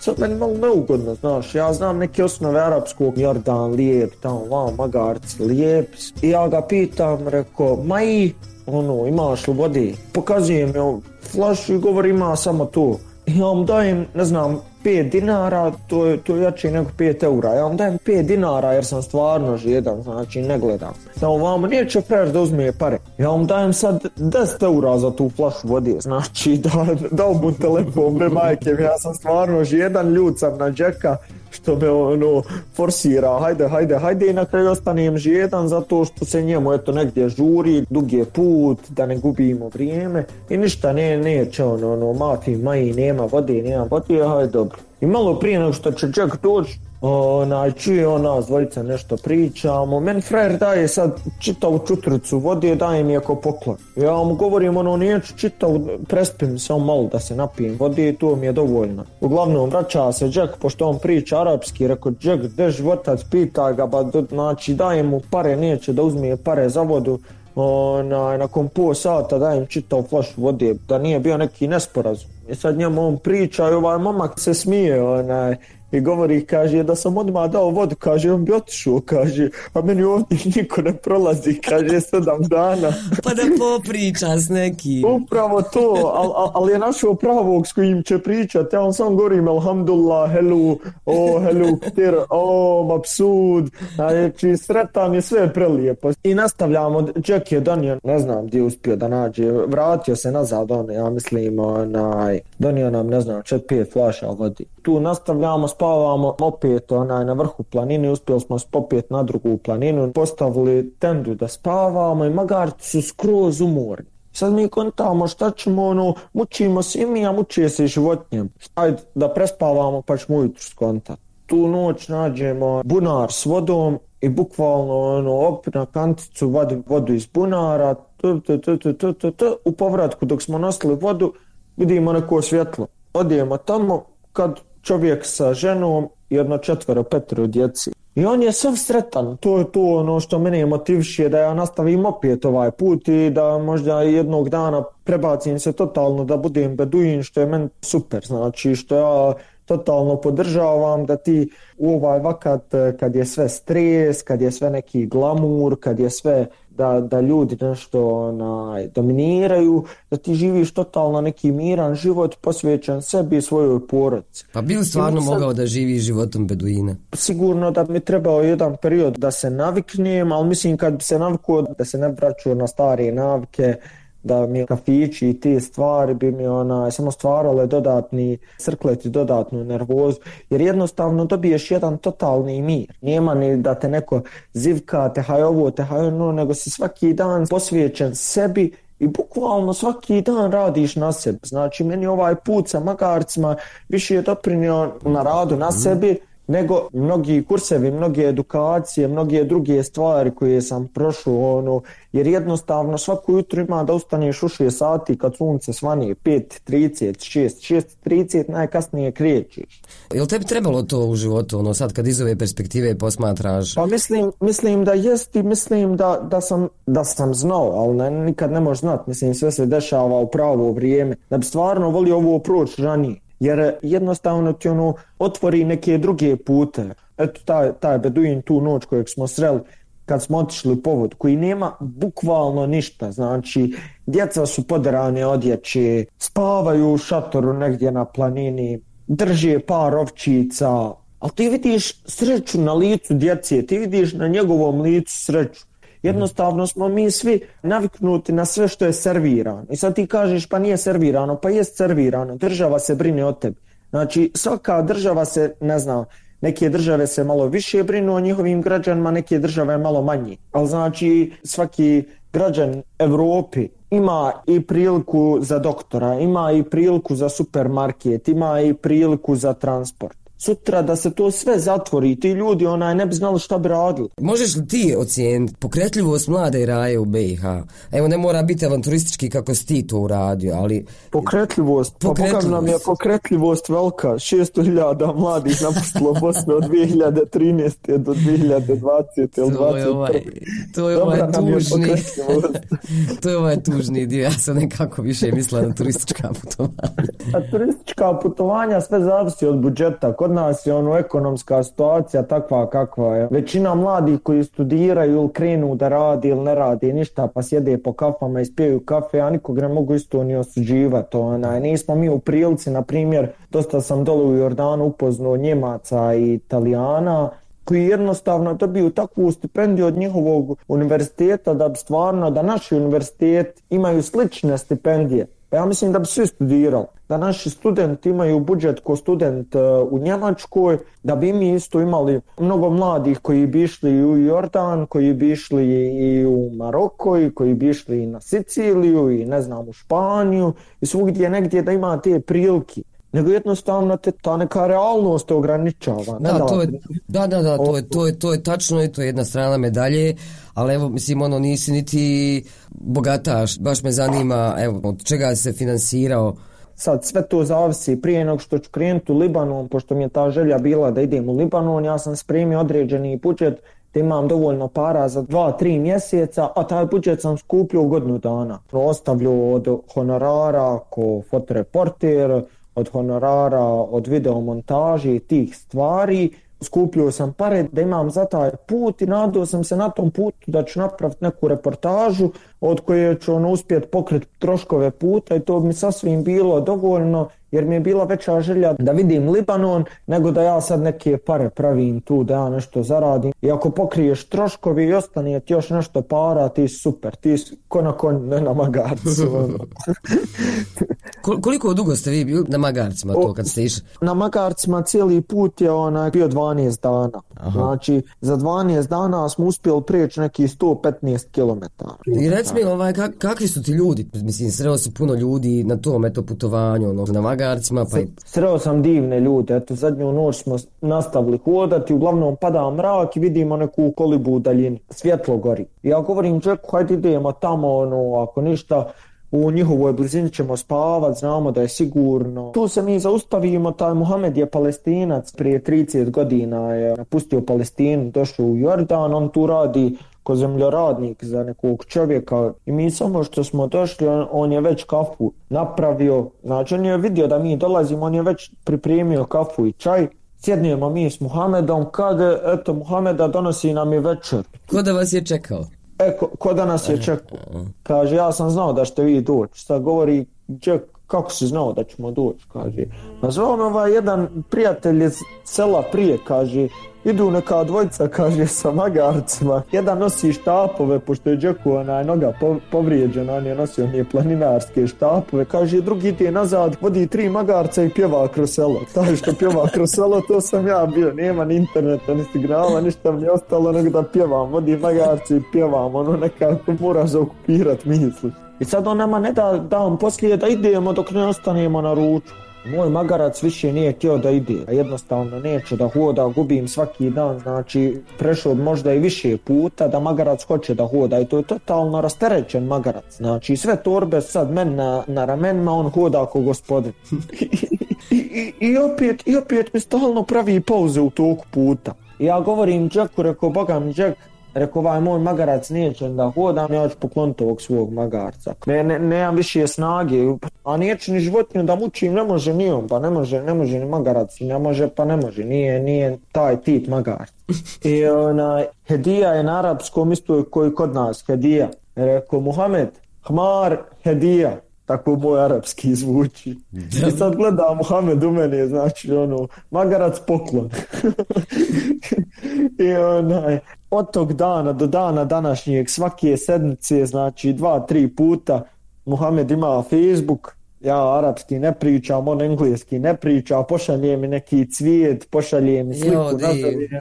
Sad meni malo neugodno, znaš, ja znam neke osnove arapskog, Jordan lijep, tamo vam, magarci lijep. I ja ga pitam, reko, ma i, ono, imaš li vode? Pokazujem joj flašu i govori ima samo to. I ja vam dajem, ne znam, pet dinara, to je, to je jače nego pet eura. Ja vam dajem pet dinara jer sam stvarno žedan, znači ne gledam. Da vam neće frajer da uzme pare. Ja vam dajem sad deset eura za tu flašu vode, znači da, da mu telefon, bre majke, ja sam stvarno žedan, ljud sam na Jacka što me ono forsira, hajde, hajde, hajde i na kraju ostanem žedan zato što se njemu eto negdje žuri, dug je put, da ne gubimo vrijeme i ništa ne, neće ono, ono, mafi, maji, nema vode, nema vode, hajde dobro. I malo prije nego što će Jack doći, onaj, čuje on nas dvojica nešto pričamo, meni frajer daje sad čitavu čutricu vode, daje mi ako poklon. Ja mu govorim ono, neću čitavu, prespim samo malo da se napijem vode i to mi je dovoljno. Uglavnom vraća se Jack, pošto on priča arapski, rekao Jack, gdje životac, pita ga, ba, znači daje mu pare, neće da uzme pare za vodu. Onaj, nakon pol sata dajem čitav flašu vode, da nije bio neki nesporazum. I sad njemu on priča i ovaj momak se smije, onaj, i govori, kaže, da sam odmah dao vodu, kaže, on bi otišao, kaže, a meni ovdje niko ne prolazi, kaže, sedam dana. Pa da popriča s nekim. Upravo to, ali al, al je našao pravog s kojim će pričati, ja on sam govorim, alhamdulillah, helu, o, helu, ktir, o, mapsud, znači, sretan je, sve prelijepo. I nastavljamo, Jack je donio, ne znam gdje je uspio da nađe, vratio se nazad, on, ja mislim, onaj, donio nam, ne znam, čet pet flaša vodi. Tu nastavljamo, spavamo opet onaj, na vrhu planine, uspjeli smo popet na drugu planinu, postavili tendu da spavamo i magarci su skroz umorni. Sad mi kontamo šta ćemo, ono, mučimo se i mi, a mučije se i životinjem. Ajde da prespavamo pa ćemo ujutru skontati. Tu noć nađemo bunar s vodom i bukvalno ono, op na kanticu vadim vodu iz bunara, t, t, t, t, t, t, t. U povratku dok smo nosili vodu vidimo neko svjetlo. Odijemo tamo kad čovjek sa ženom i jedno četvero, petero djeci. I on je sav sretan, to je to ono što mene motiviše da ja nastavim opet ovaj put i da možda jednog dana prebacim se totalno da budem beduin, što je meni super, znači što ja totalno podržavam da ti u ovaj vakat kad je sve stres, kad je sve neki glamur, kad je sve da, da ljudi nešto onaj, dominiraju, da ti živiš totalno neki miran život posvećen sebi i svojoj porodici. Pa bi li stvarno sad mogao da živi životom beduina? Sigurno da mi trebao jedan period da se naviknem, ali mislim kad bi se navikao da se ne vraćao na stare navike, da mi kafići i te stvari bi mi onaj, samo stvarale dodatni crkleti, dodatnu nervozu, jer jednostavno dobiješ jedan totalni mir. Nema ni da te neko zivka, te haj ovo, te haj ono, nego si svaki dan posvećen sebi i bukvalno svaki dan radiš na sebi. Znači meni ovaj put sa magarcima više je doprinio na radu na sebi nego mnogi kursevi, mnoge edukacije, mnoge druge stvari koje sam prošao, ono, jer jednostavno svako jutro ima da ustaneš u šest sati kad sunce svani, pet trideset, šest, šest trideset najkasnije krećeš. Je li tebi trebalo to u životu, ono sad kad iz ove perspektive posmatraš? Pa mislim, mislim da jest i mislim da, da, sam, da sam znao, ali ne, nikad ne možeš znat, mislim sve se dešava u pravo vrijeme, da bi stvarno volio ovo proći ranije. Jer jednostavno ti ono otvori neke druge pute. Eto taj, taj beduin tu noć kojeg smo sreli kad smo otišli po vodu, koji nema bukvalno ništa. Znači djeca su poderane odjeće, spavaju u šatoru negdje na planini, drže par ovčica, ali ti vidiš sreću na licu djece, ti vidiš na njegovom licu sreću. Jednostavno smo mi svi naviknuti na sve što je servirano. I sad ti kažeš pa nije servirano, pa jest servirano. Država se brine o tebi. Znači svaka država se, ne znam, neke države se malo više brinu o njihovim građanima, neke države malo manje. Ali znači svaki građan Evropi ima i priliku za doktora, ima i priliku za supermarket, ima i priliku za transport. Sutra da se to sve zatvori, ti ljudi onaj ne bi znali šta bi radili. Možeš li ti ocijeniti pokretljivost mlade Raje u B i H? Evo ne mora biti avanturistički kako si ti to uradio, ali... Pokretljivost, pa Boga nam je pokretljivost velika. šesto hiljada mladih napustilo Bosnu od dvije hiljade trinaeste do dvije hiljade dvadesete ili dvadeset prve. To je ovaj tužni. To je ovaj tužni dio. Ja sam nekako više mislila na turistička putovanja. A turistička putovanja sve zavisi od budžeta. kod nas je ono ekonomska situacija takva kakva je. Većina mladih koji studiraju ili krenu da radi ili ne radi ništa pa sjede po kafama i spijaju kafe, a nikog ne mogu isto ni osuđivati. Onaj. Nismo mi u prilici, na primjer, dosta sam dole u Jordanu upoznao Njemaca i Italijana koji jednostavno dobiju takvu stipendiju od njihovog univerziteta da bi stvarno, da naši univerziteti imaju slične stipendije. Pa ja mislim da bi svi studirali. Da naši studenti imaju budžet ko student u Njemačkoj, da bi mi isto imali mnogo mladih koji bi išli u Jordan, koji bi išli i u Maroko, i koji bi išli i na Siciliju i ne znam u Španiju i svugdje negdje da ima te prilike. Nego jednostavno te, ta neka realnost ograničava. Ne da, da, to je, da, da, da, to je, to je, to je tačno i to je jedna strana medalje, ali evo, mislim, ono, nisi niti bogataš, baš me zanima, evo, od čega se finansirao. Sad sve to zavisi, prije nego što ću krenuti u Libanon, pošto mi je ta želja bila da idem u Libanon, ja sam spremio određeni budžet da imam dovoljno para za dva, tri mjeseca, a taj budžet sam skupljio u godinu dana. Ostavljio od honorara ko fotoreporter, od honorara, od videomontaže i tih stvari. Skupljio sam pare da imam za taj put i nadao sam se na tom putu da ću napraviti neku reportažu od koje ću ono uspjeti pokriti troškove puta i to bi mi sasvim bilo dovoljno jer mi je bila veća želja da vidim Libanon nego da ja sad neke pare pravim tu, da ja nešto zaradim. I ako pokriješ troškovi i ostane ti još nešto para, ti super, ti si ko na konju, ne na magarcu. Koliko dugo ste vi bili na magarcima to kad ste išli? Na magarcima cijeli put je onaj bio dvanaest dana. Aha. Znači za dvanaest dana smo uspjeli prijeći neki sto petnaest kilometara. I reci mi, ovaj, kak, kakvi su ti ljudi? Mislim, sreo si puno ljudi na tom eto putovanju, ono, na magarcima. Pa... Sreo sam divne ljude. Eto, zadnju noć smo nastavili hodati, uglavnom pada mrak i vidimo neku kolibu u daljini. Svjetlo gori. I ja govorim čovjeku, hajde idemo tamo, ono, ako ništa, u njihovoj blizini ćemo spavat, znamo da je sigurno. Tu se mi zaustavimo, taj Muhamed je Palestinac, prije trideset godina je napustio Palestinu, došao u Jordan, on tu radi ko zemljoradnik za nekog čovjeka i mi samo što smo došli, on, on je već kafu napravio, znači on je vidio da mi dolazimo, on je već pripremio kafu i čaj. Sjednijemo mi s Muhamedom, kad eto Muhameda donosi nam je večer. Ko da vas je čekao? E, ko, ko da nas je čekao? Kaže, ja sam znao da ćete vi doći. Sad govori, Jack, kako si znao da ćemo doći? Kaže, nazvao me ovaj jedan prijatelj iz sela prije, kaže, idu neka dvojica, kaže, sa magarcima. Jedan nosi štapove, pošto je Jacku onaj noga povrijeđena, on je nosio nije planinarske štapove. Kaže, drugi ide nazad, vodi tri magarca i pjeva kroz selo. Taj što pjeva kroz selo, to sam ja bio. Nema ni interneta, ni signala, ništa mi je ostalo nego da pjevam. Vodi magarci i pjevam, ono nekako mora zaokupirat misli. I sad on nama ne da dan poslije da idemo dok ne ostanemo na ruču. Moj magarac više nije htio da ide, a jednostavno neće da hoda, gubim svaki dan, znači prešao možda i više puta da magarac hoće da hoda i to je totalno rasterećen magarac, znači sve torbe sad men na, na ramenima, on hoda ako gospodin. I, i, i, opet, I opet mi stalno pravi pauze u toku puta. Ja govorim Jacku, rekao, boga mi Jack, rekao, ovaj moj magarac neće da hodam, ja ću pokloniti ovog svog magarca. Ne, ne, nemam više snage, a neće ni životinju da mučim, ne može ni on, pa ne može, ne može ni magarac, ne može, pa ne može, nije, nije taj tip magarca. I ona, hedija je na arapskom isto koji kod nas, hedija. Rekao, Muhammed, hmar, hedija. Tako moj arapski zvuči. I sad gleda Muhammed u mene, znači ono, magarac poklon. I onaj, od tog dana do dana današnjeg, svake sedmice, znači dva, tri puta, Muhammed ima Facebook, ja arapski ne pričam, on engleski ne priča, pošalje mi neki cvijet, pošalje mi sliku, nazove me,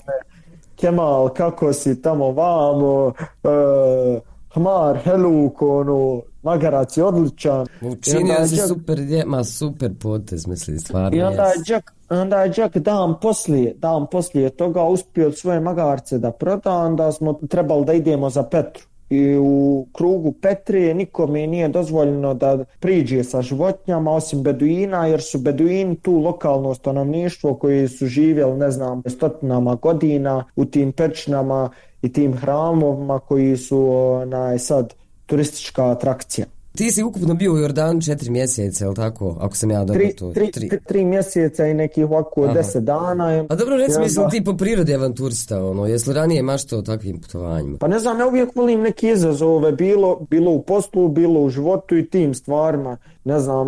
Kemal, kako si tamo vamo, uh, hmar, heluk, ono, magarac je odličan. Učinio si super, ma super potez, mislim, stvarno. I onda je Jack, onda je Jack dan poslije, dan poslije toga uspio svoje magarce da proda, onda smo trebali da idemo za Petru. I u krugu Petrije nikome nije dozvoljeno da priđe sa životinjama osim beduina, jer su beduini tu lokalno stanovništvo koji su živjeli, ne znam, stotinama godina u tim pećinama i tim hramovima koji su onaj, sad turistička atrakcija. Ti si ukupno bio u Jordanu četiri mjeseca, je li tako? Ako sam ja dobro tri, to... Tri, tri, tri mjeseca i nekih ovako deset dana. A dobro, recimo, ja, jesi li ti po prirodi avanturista, ono, jesi li ranije maštao o takvim putovanjima? Pa ne znam, ja uvijek volim neke izazove, bilo, bilo u poslu, bilo u životu i tim stvarima. Ne znam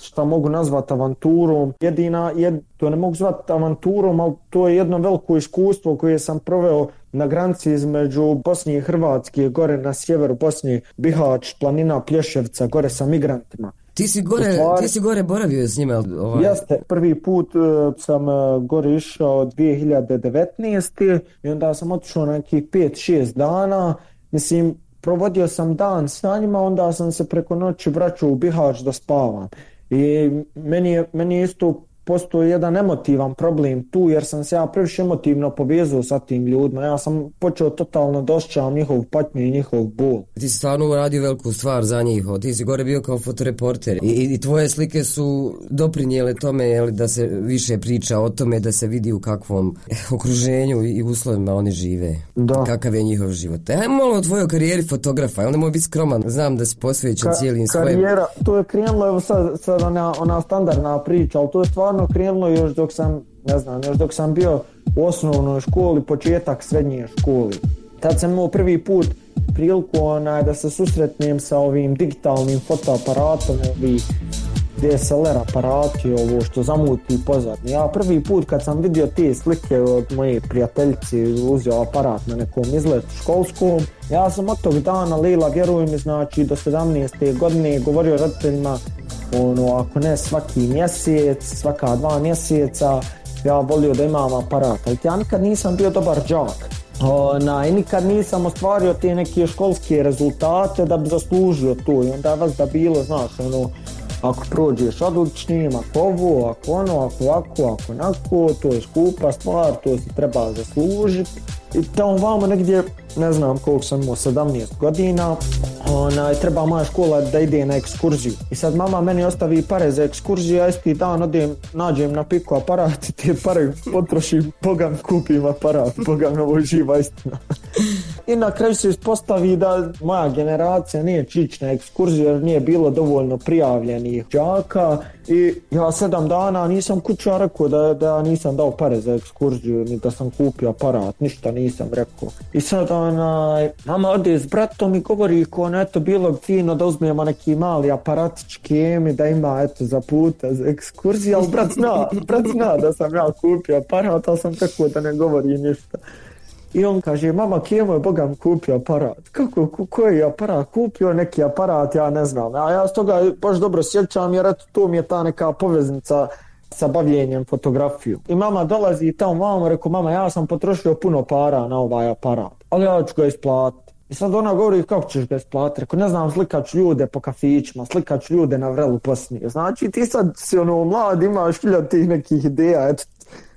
šta mogu nazvati avanturom. Jedina, jed, to ne mogu zvati avanturom, ali to je jedno veliko iskustvo koje sam proveo na granici između Bosne i Hrvatske, gore na sjeveru Bosne, Bihać, planina Plješevca, gore sa migrantima. Ti si gore, stvari, ti si gore boravio s njima? Ovaj. Jeste, prvi put uh, sam uh, gore išao dvije hiljade devetnaeste. i onda sam otišao nekih pet šest dana. Mislim, provodio sam dan sa njima, onda sam se preko noći vraćao u Bihać da spavam. I meni je, meni je isto postoji jedan emotivan problem tu, jer sam se ja previše emotivno povezao sa tim ljudima. Ja sam počeo totalno da osjećam njihov patnju i njihov bol. Ti si stvarno uradio veliku stvar za njih. Ti si gore bio kao fotoreporter. I, i tvoje slike su doprinijele tome, jeli, da se više priča o tome, da se vidi u kakvom okruženju i uslovima oni žive. Da. Kakav je njihov život. Ajmo malo o tvojoj karijeri fotografa. Jel ne moj biti skroman? Znam da si posvećen Ka- cijelim svojim... Karijera, to je krenulo, evo sad, sad ona, ona standardna priča, ali to je stvarno krenulo još dok sam, ne znam, još dok sam bio u osnovnoj školi, početak srednje škole. Tad sam imao prvi put priliku onaj, da se susretnem sa ovim digitalnim fotoaparatom, ovih D S L R aparati, ovo što zamuti pozadnje. Ja prvi put kad sam vidio te slike od moje prijateljice, uzeo aparat na nekom izletu školskom, ja sam od tog dana, Lila, vjeruj mi, znači do sedamnaeste godine govorio roditeljima, ono, ako ne svaki mjesec, svaka dva mjeseca, ja volio da imam aparat, ali ja nikad nisam bio dobar đak. Ona, i nikad nisam ostvario te neke školske rezultate da bi zaslužio to, i onda vas da bilo, znaš, ono, ako prođeš odličnim, ako ovo, ako ono, ako ovako, ako onako, to je skupa stvar, to si treba zaslužiti. I tamo vamo negdje, ne znam koliko sam imao, sedamnaest godina, ona, treba moja škola da ide na ekskurziju. I sad mama meni ostavi pare za ekskurziju, ja isti dan odem, nađem na piku aparat i te pare potrošim, Boga mi kupim aparat, Boga mi ovo živa istina. I na kraju se ispostavi da moja generacija nije čić na ekskurziju jer nije bilo dovoljno prijavljenih đaka i ja sedam dana nisam kuća rekao da, da nisam dao pare za ekskurziju ni da sam kupio aparat, ništa nisam rekao. I sad onaj, mama ode s bratom i govori ko ne, eto bilo fino da uzmemo neki mali aparatički emi da ima eto za puta za ekskurziju, ali brat zna, brat zna da sam ja kupio aparat, ali sam rekao da ne govori ništa. I on kaže, mama, kjemo je Boga mi kupio aparat? Kako, ko, koji je aparat? Kupio neki aparat, ja ne znam. A ja s toga baš dobro sjećam jer eto, to mi je ta neka poveznica sa bavljenjem fotografiju. I mama dolazi i tamo mama, rekao, mama, ja sam potrošio puno para na ovaj aparat, ali ja ću ga isplatiti. I sad ona govori, kako ćeš ga isplatiti? Rekao, ne znam, slikač ljude po kafićima, slikač ljude na vrelu poslije. Znači, ti sad si ono mlad, imaš hiljad tih nekih ideja, eto,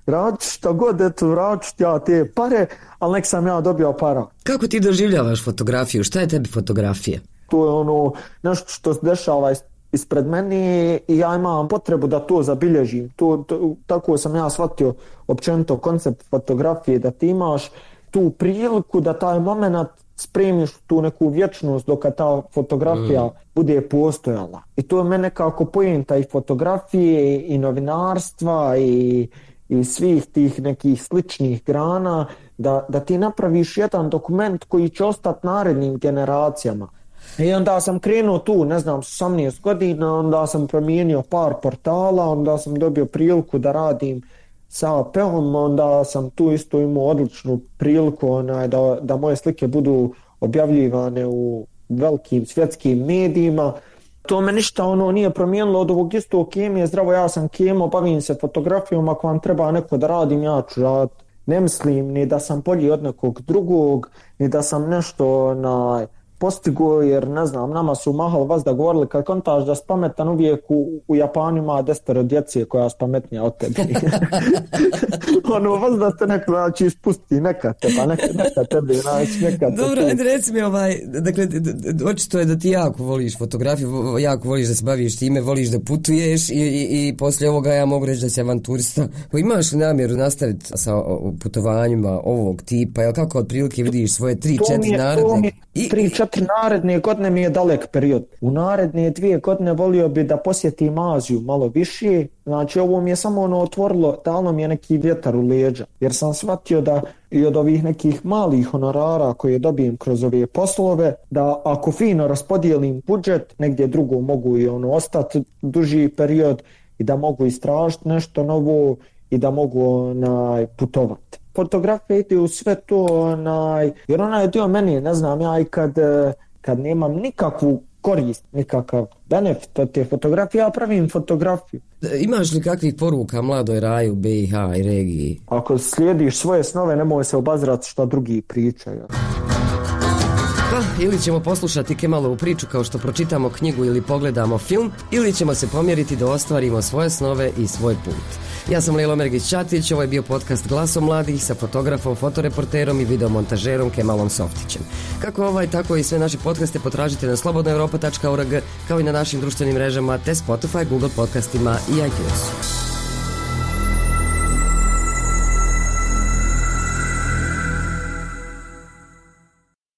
radit šta god, eto, radit ja te pare, ali nek sam ja dobio para. Kako ti doživljavaš fotografiju? Šta je tebi fotografija? To je ono nešto što se dešava ispred mene i ja imam potrebu da to zabilježim. To, to, tako sam ja shvatio općenito koncept fotografije, da ti imaš tu priliku da taj moment spremiš tu neku vječnost dok ta fotografija mm. bude postojala. I to je mene nekako poenta i fotografije i novinarstva i i svih tih nekih sličnih grana, da, da ti napraviš jedan dokument koji će ostati narednim generacijama. I onda sam krenuo tu, ne znam, s osamnaest godina, onda sam promijenio par portala, onda sam dobio priliku da radim sa A P-om, onda sam tu isto imao odličnu priliku onaj, da, da moje slike budu objavljivane u velikim svjetskim medijima. To me ništa ono nije promijenilo od ovog istog kemije, zdravo, ja sam kemo, bavim se fotografijom, ako vam treba neko da radim, ja ću raditi. Ne mislim ni da sam bolji od nekog drugog, ni da sam nešto na postigo, jer ne znam, nama su mahali vas da govorili kad kontaš da si pametan, uvijek u, u Japanu ima desetero djece koja je pametnija od tebe. Ono, vas da te neko znači ispusti, neka teba, neka, neka tebe, znači neka tebe. Dobro, ajde reci mi ovaj, dakle, očito je da ti jako voliš fotografiju, jako voliš da se baviš time, voliš da putuješ i, i, i poslije ovoga ja mogu reći da si avanturista. Imaš li namjeru nastaviti sa putovanjima ovog tipa, jel kako otprilike vidiš svoje tri četiri naredne? I tri četiri četiri naredne godine mi je dalek period. U naredne dvije godine volio bi da posjetim Aziju malo više. Znači ovo mi je samo ono otvorilo, dalo mi je neki vjetar u leđa. Jer sam shvatio da i od ovih nekih malih honorara koje dobijem kroz ove poslove, da ako fino raspodijelim budžet, negdje drugo mogu i ono ostati duži period i da mogu istražiti nešto novo i da mogu onaj, putovati. Fotografija ide u sve to, onaj, jer ona je dio meni, ne znam, ja i kad, kad nemam nikakvu korist, nikakav benefit od te fotografije, ja pravim fotografiju. Imaš li kakvih poruka mladoj Raji u B i H i regiji? Ako slijediš svoje snove, nemoj se obazirati što drugi pričaju. Pa, ili ćemo poslušati Kemalovu priču kao što pročitamo knjigu ili pogledamo film, ili ćemo se pomjeriti da ostvarimo svoje snove i svoj put. Ja sam Lelo Mergić-Ćatić, ovo je bio podcast Glasom mladih sa fotografom, fotoreporterom i videomontažerom Kemalom Softićem. Kako ovaj, tako i sve naše podcaste potražite na slobodna europa tačka org, kao i na našim društvenim mrežama te Spotify, Google podcastima i iTunesu.